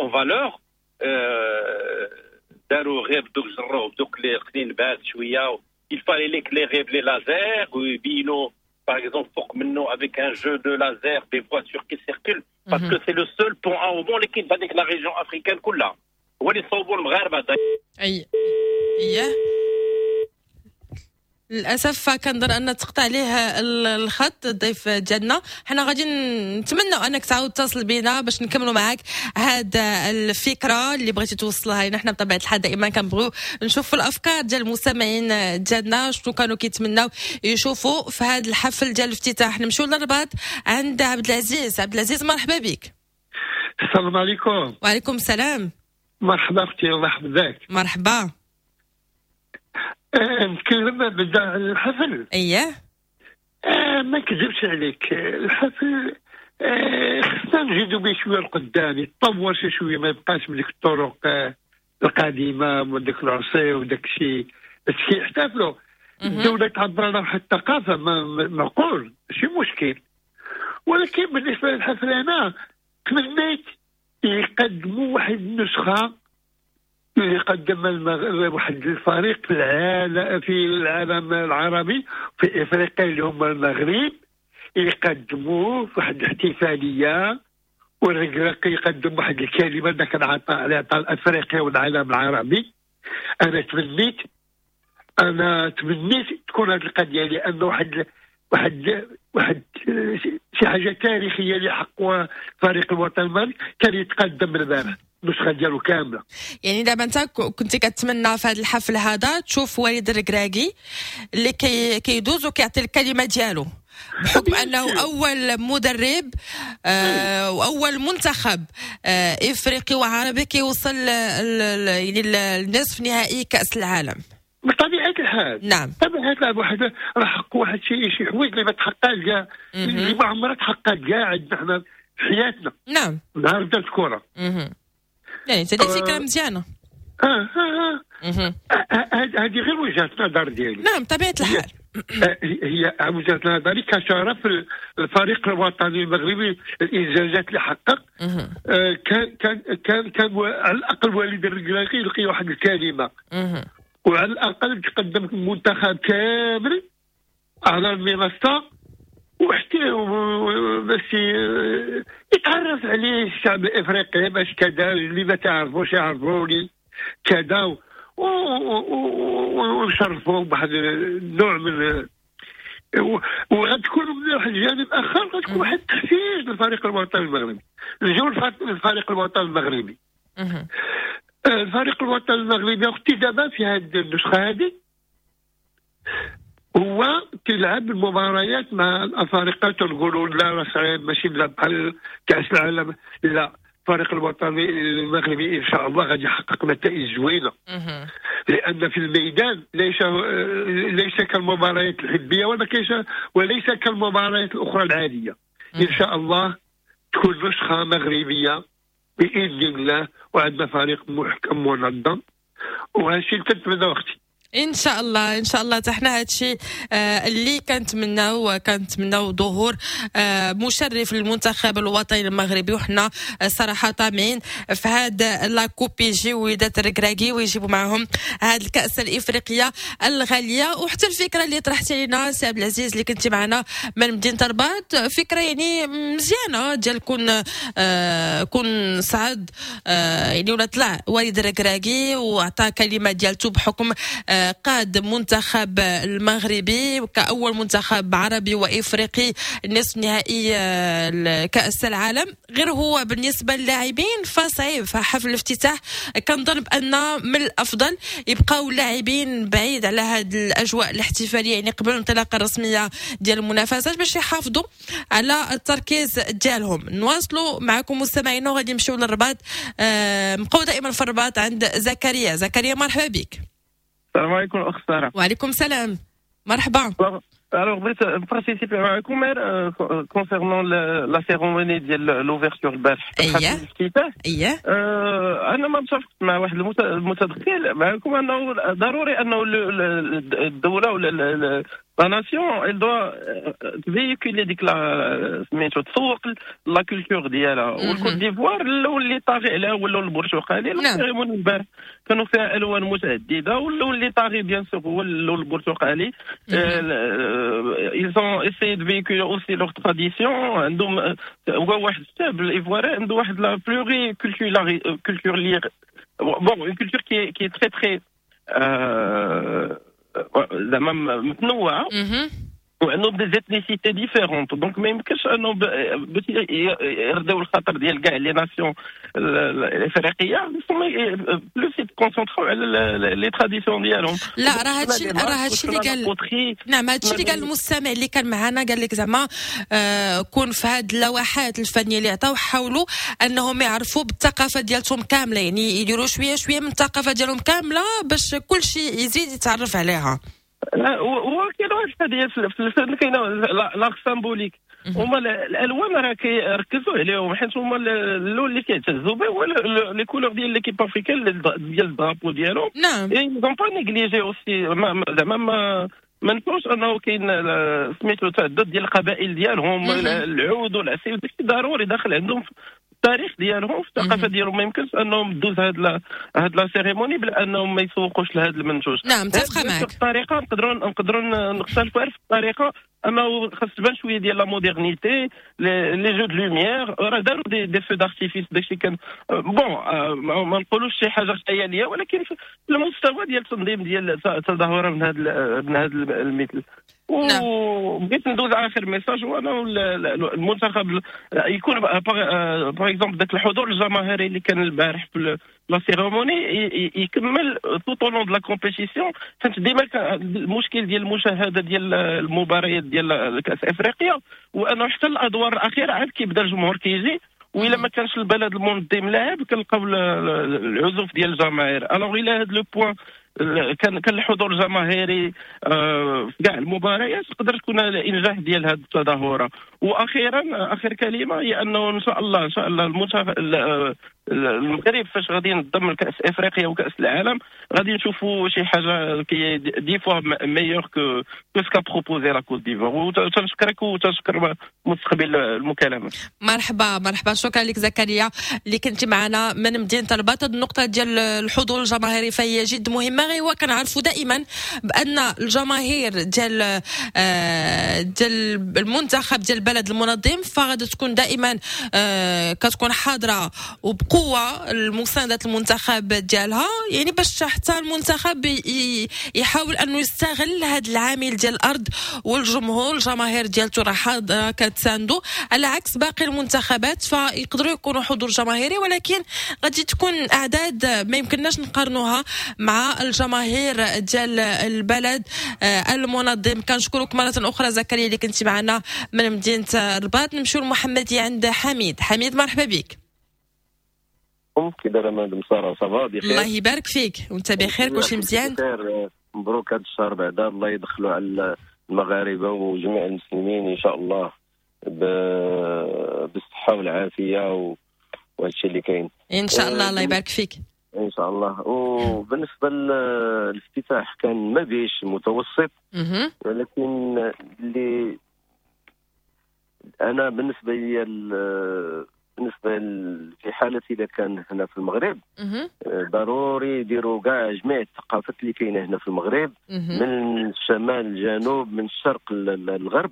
en valeur. داروا غير دوك جروه دوك اللي قنين بات شوية. Il fallait l'éclairer les lasers ويبينوا par exemple فوق منه avec un jeu de laser des voitures qui circulent parce que c'est le seul pont à haubans اللي كاين في هذيك la région africaine كلها. هو اللي صوبوا المغاربة. اي ايه للاسف كنظن ان تقطع عليه الخط الضيف ديالنا. حنا غادي نتمنوا انك تعاود تتصل بينا باش نكملوا معاك هذا الفكرة اللي بغيتي توصلها لنا. حنا بطبيعة الحال دائما كنبغيو نشوفوا الافكار ديال المستمعين ديالنا شنو كانوا كيتمناو يشوفوا في هذا الحفل ديال الافتتاح. نمشيو للرباط عند عبد العزيز. عبد العزيز مرحبا بك. السلام عليكم. وعليكم السلام. مرحبا اختي، الله يحفظك. مرحبا. نتكلم بدا على الحفل. اييه. ما نكذبش عليك، الحفل خصنا نزيدو به شوية لقدام، يتطور شي شوية، ما يبقاش من ديك الطرق القديمة وديك العصي وداك الشيء هادشي يحتفلوا. الدولة تعبر على واحد الثقافة معقول، ماشي مشكل، ولكن بالنسبة للحفل انا تمنيت يقدموا واحد النسخة اللي قدم واحد الفريق في العالم، في العالم العربي، في افريقيا اللي هما المغرب، يقدموا واحد الاحتفالية، والركراكي يقدم واحد الكلمة ذاك العطاء اللي عطى افريقيا والعالم العربي. انا تمنيت تكون هذه القضية، لان واحد واحد واحد شي حاجة تاريخية اللي حققوها فريق الوطن المغربي كان يتقدم البارح النسخة ديالو كاملة. يعني دابا انت كنت كتمنى في هذا الحفل هذا تشوف وليد الركراكي اللي كيدوز وكيعطي الكلمة ديالو، بحكم انه اول مدرب واول منتخب افريقي وعربي كيوصل يعني النصف نهائي كاس العالم. بطبيعة الحال. نعم. بطبيعة الحال واحد راه حقوا واحد شي حوايج اللي ما تحققش كاع، اللي ما عمرها تحققت كاع عندنا حنا في حياتنا. نعم. نهار بدات الكره. يعني انت فكرة مزيانه. هذه غير وجهه النظر ديالي. نعم بطبيعة الحال. هي وجهه نظري كشرف الفريق الوطني المغربي، الانجازات اللي حقق. كان كان كان كان على الاقل وليد الركراكي يلقي واحد الكلمة، وعلى الاقل تقدم المنتخب كامل على المنصة، وحتى باش يتعرف عليه الشعب الافريقي، باش كذا اللي ما تعرفوش يعرفوني كذا، ونشرفوا بواحد النوع من، وغتكون من واحد الجانب اخر غتكون واحد التحفيز للفريق الوطني المغربي. نجيو للفريق الوطني المغربي. الفريق الوطني المغربي اختي دابا في هذه النسخة هذه هو كيلعب المباريات مع الافارقة، تنقولوا لا راه صعيب ماشي بحال كاس العالم، لا، الفريق الوطني المغربي ان شاء الله غادي يحقق نتائج زوينة، لان في الميدان ليس كالمباريات الحبيه وليس كالمباريات الاخرى العادية. ان شاء الله تكون نسخه مغربية باذن الله، وعندنا فريق محكم منظم، وهذا الشيء اللي كنتمناه اختي. ان شاء الله، ان شاء الله حتى حنا هادشي اللي كنتمناو، كنتمناو ظهور مشرف للمنتخب الوطني المغربي، وحنا صراحة طامعين في هاد la coupe يجيو وليدات الركراكي ويجيبوا معهم هاد الكاس الافريقية الغالية. وحتى الفكرة اللي طرحتي لنا سي عبد العزيز اللي كنتي معنا من مدينة الرباط، فكرة يعني مزيانه ديال كون صعد يعني ولا طلع وليد الركراكي وعطى كلمة ديالته بحكم قاد منتخب المغربي كأول منتخب عربي وإفريقي نصف نهائي كأس العالم. غير هو بالنسبة للاعبين فصعيب، فحفل الافتتاح كنظن بأن من الأفضل يبقاو اللاعبين بعيد على هذه الأجواء الاحتفالية، يعني قبل الانطلاقة الرسمية ديال المنافسات باش يحافظوا على التركيز ديالهم. نواصلوا معكم مستمعينا وغادي نمشيو للرباط، نبقاو دائما في الرباط عند زكريا. زكريا مرحبا بك. السلام عليكم الاخت ساره. وعليكم السلام، مرحبا. Alors بغيت ن participer معكم غير concernant la cérémonie ديال l'ouverture البارح. اييه اييه. انا ما متفقت مع واحد المتدخل معكم انه ضروري انه الدولة ولا la nation elle doit véhiculer ديك la سميتو تسوق la culture ديالها. والكوت ديفوار اللون اللي طاغي عليها هو اللون البرتقالي. la cérémonie البارح كانوا فيها الوان متعددة، واللون اللي طاغي bien sûr هو اللون البرتقالي. Ils ont essayé de véhiculer aussi leur tradition. عندهم هو واحد الشعب الايفواري عنده واحد la pluriculture bon une culture qui est très très زعما متنوعة. وعندهم des ethnicités différentes، donc ما يمكنش انه باش يرضيو الخاطر ديال كاع les nations الافريقية plus يت concentrer او على les traditions ديالهم. لا، راه هادشي اللي قال، نعم، هادشي اللي قال المستمع اللي كان معنا، قال لك زعما كون في هاد اللوحات الفنية اللي عطاو حاولوا انهم يعرفوا بالثقافة ديالتهم كامله، يعني يديروا شوية شوية من الثقافة ديالهم كاملة باش كل شيء يزيد يتعرف عليها. لا، هو كاين واحد القضية في الفن، كاينه l'art symbolique، هما الالوان راه كيركزوا عليهم حيت هما اللون اللي كيعتزوا به هو les couleurs ديال l'équipe africaine، ديال ال drapeau ديالهم. Ils ont pas négligé aussi، زعما ما نكونش انه كاين سميتو تعدد ديال القبائل ديالهم، العود والعصي وداكشي ضروري داخل عندهم في التاريخ ديالهم، في الثقافة ديالهم. ما يمكنش انهم دوز هاد la cérémonie بلا انهم ما يسوقوش لهذا المنتوج. نعم، متفقه معك. الطريقة نقدروا نختلفوا في الطريقه، اما خاص تبان شوية ديال la modernité، les jeux de lumière، راه داروا des feux d'artifice، داكشي كان bon، ما نقولوش شي حاجة خياليه، ولكن في المستوى ديال التنظيم ديال التظاهرة من هذا المثل. وبغيت ندوز اخر message، هو انه المنتخب يكون par exemple ذاك الحضور الجماهيري اللي كان البارح في la cérémonie يكمل tout au long de la compétition، حيت ديما المشكل ديال المشاهدة ديال المباريات ديال كاس افريقيا وانه حتى الادوار الاخيرة عاد كيبدا الجمهور كيجي، والا ما كانش البلد المنظم لاعب كنلقاو العزوف ديال الجماهير. alors الى هذا le point كان الحضور الجماهيري في كاع المباريات تقدر تكون الانجاح ديال هذه التظاهره. واخيرا، اخر كلمة هي انه ان شاء الله، ان شاء الله المنتخب المغرب فاش غادي ينظم الكاس افريقيا وكاس العالم غادي نشوفوا شي حاجة qui est dix fois meilleure que ce qu'a proposé la Côte d'Ivoire. وتنشكرك وتنشكر مستقبل المكالمه. مرحبا مرحبا، شكرا لك زكريا اللي كنت معنا من مدينة الرباط. النقطة ديال الحضور الجماهيري فهي جد مهمه، غير هو كنعرفوا دائما بان الجماهير ديال المنتخب ديال البلد المنظم فغادي تكون دائما كتكون حاضره وبقوة المساندة المنتخب ديالها، يعني باش حتى المنتخب يحاول انه يستغل هذا العامل ديال الارض والجمهور، الجماهير ديالته راه حاضره كتساندو، على عكس باقي المنتخبات فيقدروا يكونوا حضور جماهيري ولكن غادي تكون اعداد ما يمكنناش نقارنوها مع الجماهير ديال البلد المنظم. كنشكرك مرة اخرى زكريا اللي كنتي معنا من مدينة الرباط. نمشيو للمحمديه عند حميد. حميد، مرحبا بك. كي دايرة مدام ساره؟ ça va؟ بخير؟ الله يبارك فيك، وانت بخير؟ كلشي مزيان؟ بخير، مبروك هذا الشهر بعدا، الله يدخلوا على المغاربة وجميع المسلمين ان شاء الله بالصحة والعافية وهذا الشيء اللي كاين. ان شاء الله، الله يبارك فيك. ان شاء الله. وبالنسبة للافتتاح كان ما بيش متوسط، ولكن اللي انا بالنسبة لي، بالنسبة في حاله اذا كان هنا في المغرب، ضروري يديروا كاع جميع الثقافات اللي كاينه هنا في المغرب، من الشمال للجنوب، من الشرق للغرب،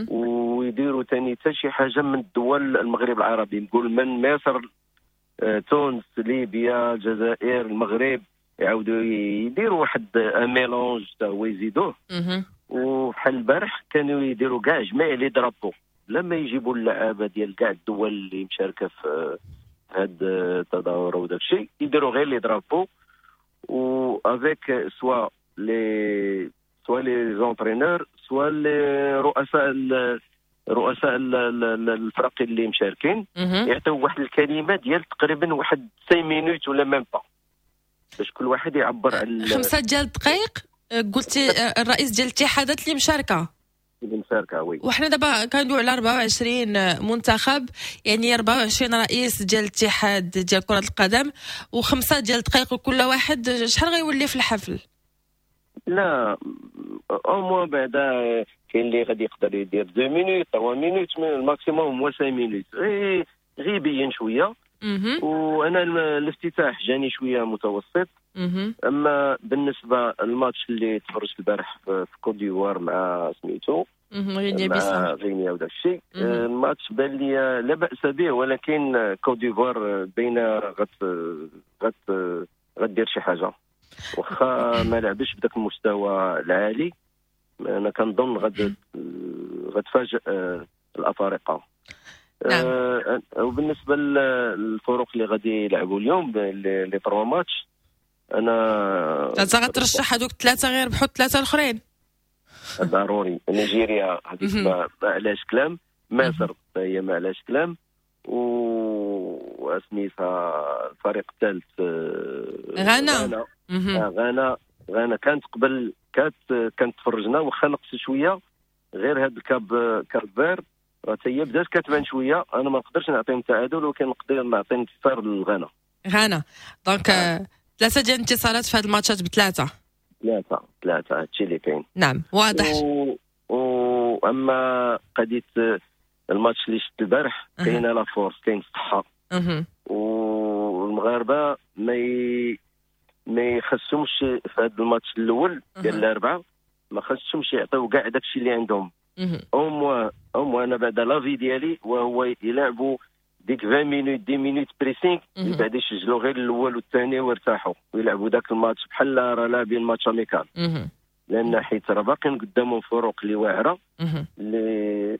ويديروا ثاني حتى شي حاجة من الدول المغرب العربي، نقول من مصر، تونس، ليبيا، الجزائر، المغرب، يعاودوا يديروا واحد mélange تا هو يزيدوه. وبحال البارح كانوا يديروا كاع جميع les drapeaux، لما يجيبوا اللعابه ديال كاع الدول اللي مشاركة في هاد التظاهرة وداك الشيء، يديروا غير les drapeaux و avec soit les entraîneurs، soit les رؤساء الفرق اللي مشاركين، يعطيو واحد الكلمة ديال تقريبا واحد 5 minutes ولا même pas، باش كل واحد يعبر على 5 ديال الدقائق قلتي، الرئيس ديال الاتحادات اللي مشاركه؟ اللي مشاركه، oui. وحنا دابا كندويو على 24 منتخب، يعني 24 رئيس ديال الاتحاد ديال كرة القدم، و5 ديال الدقائق وكل واحد، شحال غيولي في الحفل؟ لا، au moins بعدا كاين اللي غادي يقدر يدير 2 minutes، 3 minutes، mais ال maximum هو 5 minutes، غير يبين شويه. وانا الافتتاح جاني شوية متوسط. اما بالنسبة للماتش اللي تفرجت البارح في كوت ديفوار مع سميتو غينيا مع بيساو. غينيا وداك الشيء، الماتش بان لي لا باس به، ولكن كوت ديفوار باينة غت غت غدير شي حاجه، واخا ما لعبش بداك المستوى العالي، انا كنظن غتفاجئ الافارقة. نعم. وبالنسبة للفرق اللي غادي يلعبوا اليوم les 3 ماتش، انا انت غترشح هذوك الثلاثة غير ربحوا الثلاثة الاخرين ضروري. نيجيريا هذيك ما علاش كلام، مصر هي ما علاش كلام، وسميتها الفريق الثالث غانا. غانا كانت قبل كانت تفرجنا واخا نقص شوية، غير هاد الكاب فير راه هي بدات كتبان شوية. انا ما نقدرش نعطيهم تعادل، ولكن نقدر نعطي انتصار للغانا. غانا donc ثلاثة ديال الانتصارات في هاد الماتشات بثلاثة ثلاثة هادشي اللي كاين. نعم واضح. واما قضية الماتش اللي شفت البارح، كاينه la force، كاين الصحة، والمغاربة ما يخصهمش في هذا الماتش الاول ديال الاربعة، ما خصهمش يعطيو كاع داكشي اللي عندهم. au moins انا بعد l'avis ديالي وهو يلعبوا ديك 20 minutes 10 minutes pressing، بعد يسجلوا غير الاول والثاني ويرتاحوا ويلعبوا داك الماتش بحال راه لاعبين match amical، لان حيت راه باقيين قدامهم فرق اللي واعرة اللي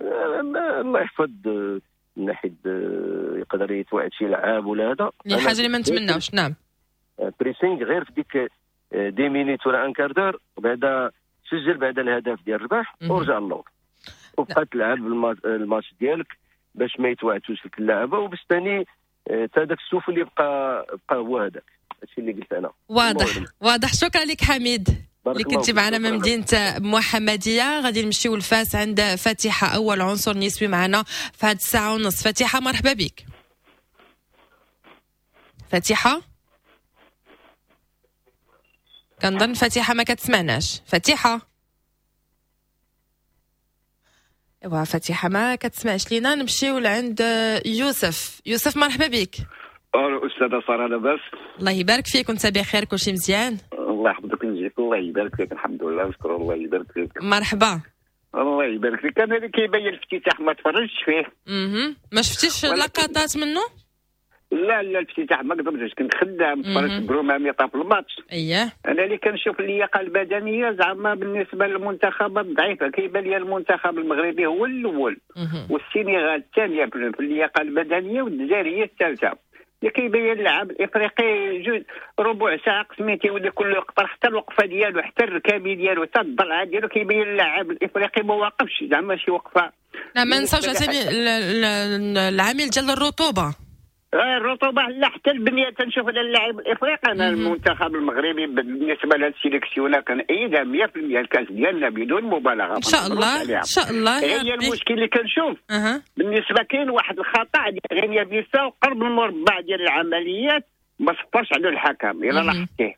الله يحفظ من ناحية يقدر يتوعد شي لعاب ولا هذا، الحاجة اللي ما نتمناوش. نعم pressing غير في ديك 10 minutes ولا un quart d'heure، بعدا سجل بعد الهدف ديال الربح ورجع للور وبقى تلعب الماتش ديالك باش ما يتوعدوش لك اللعبة، وباش ثاني حتى داك السوف اللي بقى هو هذاك. هادشي اللي قلت انا. واضح. شكرا لك حميد اللي كنتي معنا من مدينة محمديه. غادي نمشيو لفاس عند فاتحة، اول عنصر نسوي معنا في هاد الساعة ونص. فاتحة مرحبا بك. فاتحة كنظن فاتحة ما كتسمعناش. فاتحة ايوا فاتحة ما كتسمعش لينا. نمشيو لعند يوسف. يوسف مرحبا بك. الو استاذه ساره، لاباس؟ الله يبارك فيك، وانت بخير؟ كلشي مزيان؟ الله يحفظك ويجزيك، الله يبارك فيك. الحمد لله وشكر الله يبارك فيك. مرحبا. الله يبارك فيك. انا اللي كيبين الافتتاح ما تفرجتش فيه. ما شفتيش لقطات منه؟ لا الافتتاح ما قدرتش، كنت خدام تفرجت بروماميطه في الماتش. اييه انا اللي كنشوف اللياقة البدنية زعما بالنسبة للمنتخبات ضعيفة، كيبان لي المنتخب المغربي هو الاول والسنغال الثانية في اللياقة البدنية والجزائر هي الثالثة. اللي كيبين اللاعب الافريقي جوج ربع ساعة قسمي تيولي كله يقطر، حتى الوقفة ديالو حتى الركابي ديالو حتى الضلعه ديالو، كيبين اللاعب الافريقي ما واقفش زعما شي وقفه. لا ما نساوش عاوتاني العامل ديال الرطوبة. الرطوبة لا حتى البنية تنشوف على اللاعب الافريقي. انا المنتخب المغربي بالنسبة لهاد ال sélection كنأيدها 100% الكاس ديالنا بدون مبالغه ان شاء الله. ان شاء الله. هي المشكل اللي كنشوف بالنسبة كاين واحد الخطا ديال غينيا بيساو قرب المربع ديال العمليات ما صفرش على الحكم الا لاحظتيه.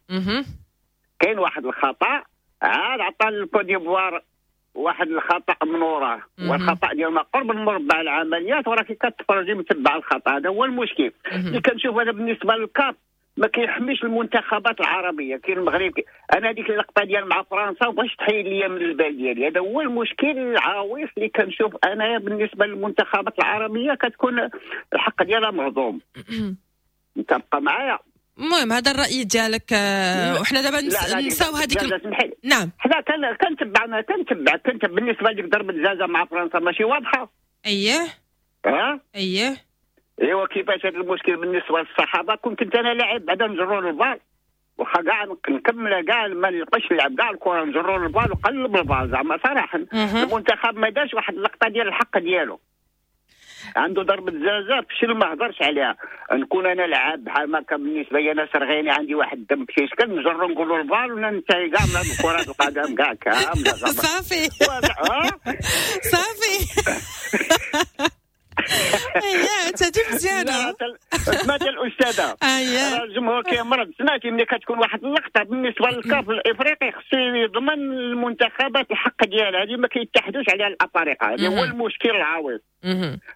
كاين واحد الخطا عاد عطى الكوت ديفوار واحد الخطا من وراه، والخطا ديال ما قرب المربع العمليات وراك كتفرجي متبع الخطا. هذا هو المشكل اللي كنشوف انا بالنسبة للكاف ما كيحميش المنتخبات العربية. كاين المغرب، انا هذيك اللقطة ديال مع فرنسا وباش تحيد ليا من البال ديالي. هذا هو المشكل العويص اللي كنشوف انا بالنسبة للمنتخبات العربية، كتكون الحق ديالها مهضوم. انت بقى معايا. المهم هذا الراي ديالك، وحنا دابا نساو هذيك. نعم حنا كنتبع كنت بالنسبة لك ضربه الجزاء مع فرنسا ماشي واضحة. اييه اييه ايوا كيفاش هذا المشكل بالنسبة للصحابة؟ كنت انا لاعب بعدا نجرو البال، واخا كاع نكمل كاع ما نلقاش نلعب كاع الكره، نجرو البال وقلب البال زعما صراحة. المنتخب ما دارش واحد اللقطة ديال الحق ديالو، عنده ضربة جزاء فشل ما هضرش عليها. نكون انا لعاب بحال ما كان بالنسبة لي انا سرغيني عندي واحد الدم في شكل نجرو نقولوا البال وننتهي كاع من كره القدم كاع كاملة. صافي صافي. اييه انت مزيانه. سمعت الاستاذة، الجمهور كيمرض. سمعتي ملي كتكون واحد اللقطة بالنسبة للكاف الافريقي خصو يضمن المنتخبات الحق ديالها، هذه ما كيتحدوش عليها الافارقة. هذا هو المشكل العويص.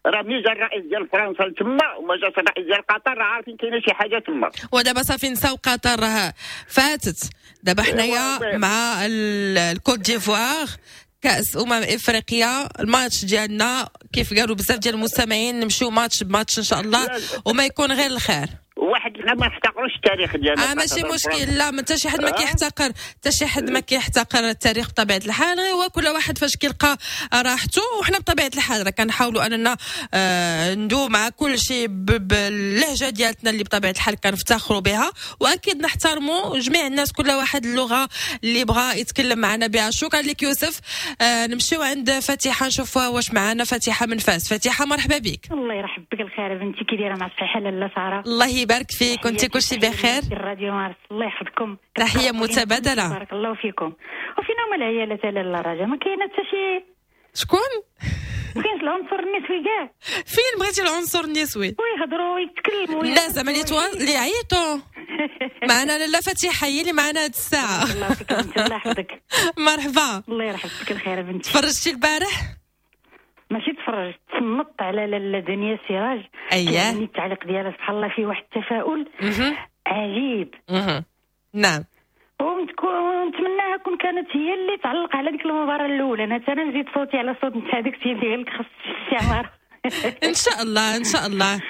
راه ملي جا الرئيس ديال فرنسا لتما وما جاش الرئيس ديال قطر، راه عارفين كاينه شي حاجة تما. ودابا صافي نساو قطر راه فاتت. دابا حنايا مع الكوت ديفوار كأس افريقيا، الماتش ديالنا كيف قالوا بزاف ديال المستمعين نمشيو match ب match ان شاء الله وما يكون غير الخير. واحد حيت حنا ما نحتقروش التاريخ ديالنا. ماشي مشكل، لا حتى شي حد ما كيحتقر، حتى شي حد ما كيحتقر التاريخ بطبيعة الحال، غير هو كل واحد فاش كيلقى راحته. وحنا بطبيعة الحال راه كنحاولوا اننا ندوي مع كل شيء باللهجة ديالتنا اللي بطبيعة الحال كنفتخروا بها، واكيد نحترموا جميع الناس، كل واحد اللغة اللي بغى يتكلم معنا بها. شكرا لك يوسف. نمشيو عند فاتحة نشوفوها واش معنا. فاتحة من فاس. فاتحة مرحبا بك. الله يرحب بك الخير بنتي، كي دايرة مع الصحة لاله ساره؟ الله يبارك فيك، وانت كلشي بخير؟ الراديو مارس الله يحفظكم. تحية متبادلة. بارك الله فيكم. وفينا هما العيالات لاله رجا؟ ما كاينه حتى شي. شكون؟ ما كاينش العنصر النسوي كاع. فين بغيتي العنصر النسوي؟ ويهضروا ويتكلموا. لا زعما اللي عيطوا معنا لاله فاتحة هي اللي معنا هاد الساعة. الله يحفظك بنتي، الله يحفظك. مرحبا. الله يرحب بك الخير بنتي. تفرجتي البارح؟ ماشي تفرجت، تصنت على لاله دنيا سراج. اييه التعليق ديالها سبحان الله فيه واحد التفاؤل عجيب. نعم، ونتمناها كون كانت هي اللي تعلق على ديك المباراة الاولى. انا حتى نزيد صوتي على صوت نتاع داك السيد اللي قال لك خص الاستعمار. ان شاء الله ان شاء الله.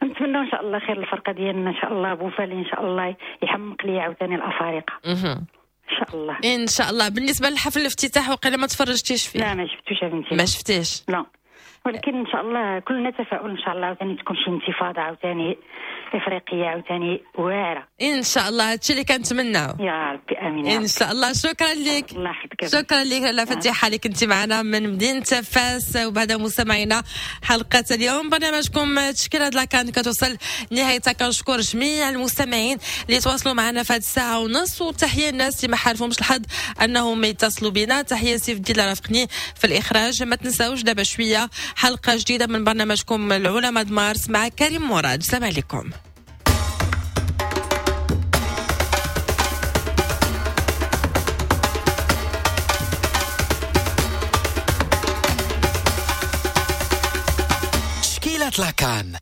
نتمنى ان شاء الله خير الفرقة ديالنا ان شاء الله. بوفالي ان شاء الله يحمق لي عاوتاني الافارقة ان شاء الله. ان شاء الله. بالنسبة لحفل الافتتاح وقيلا ما تفرجتيش فيه؟ لا ما شفتوش يا بنتي. ما شفتيش؟ لا، ولكن ان شاء الله كلنا تفاؤل ان شاء الله عاوتاني تكون شي انتفاضة عاوتاني افريقية عاوتاني واعرة ان شاء الله. هادشي اللي كنتمناو يا ربي، امين ان شاء الله. شكرا لك. الله يحفظك. شكرا لك لاله فتيحه اللي كنتي معنا من مدينة فاس. وبهذا مستمعينا حلقة اليوم برنامجكم تشكيله la CAN كتوصل نهايتها. كنشكر جميع المستمعين اللي تواصلوا معنا في هذه الساعة ونص، وتحية الناس اللي ما حالفهمش الحظ انهم يتصلوا بنا. تحية سيف الدين اللي رافقني في الاخراج. ما تنساوش دابا شوية حلقة جديدة من برنامجكم العلماء مارس مع كريم مراد. السلام عليكم. تشكيلة لاكان.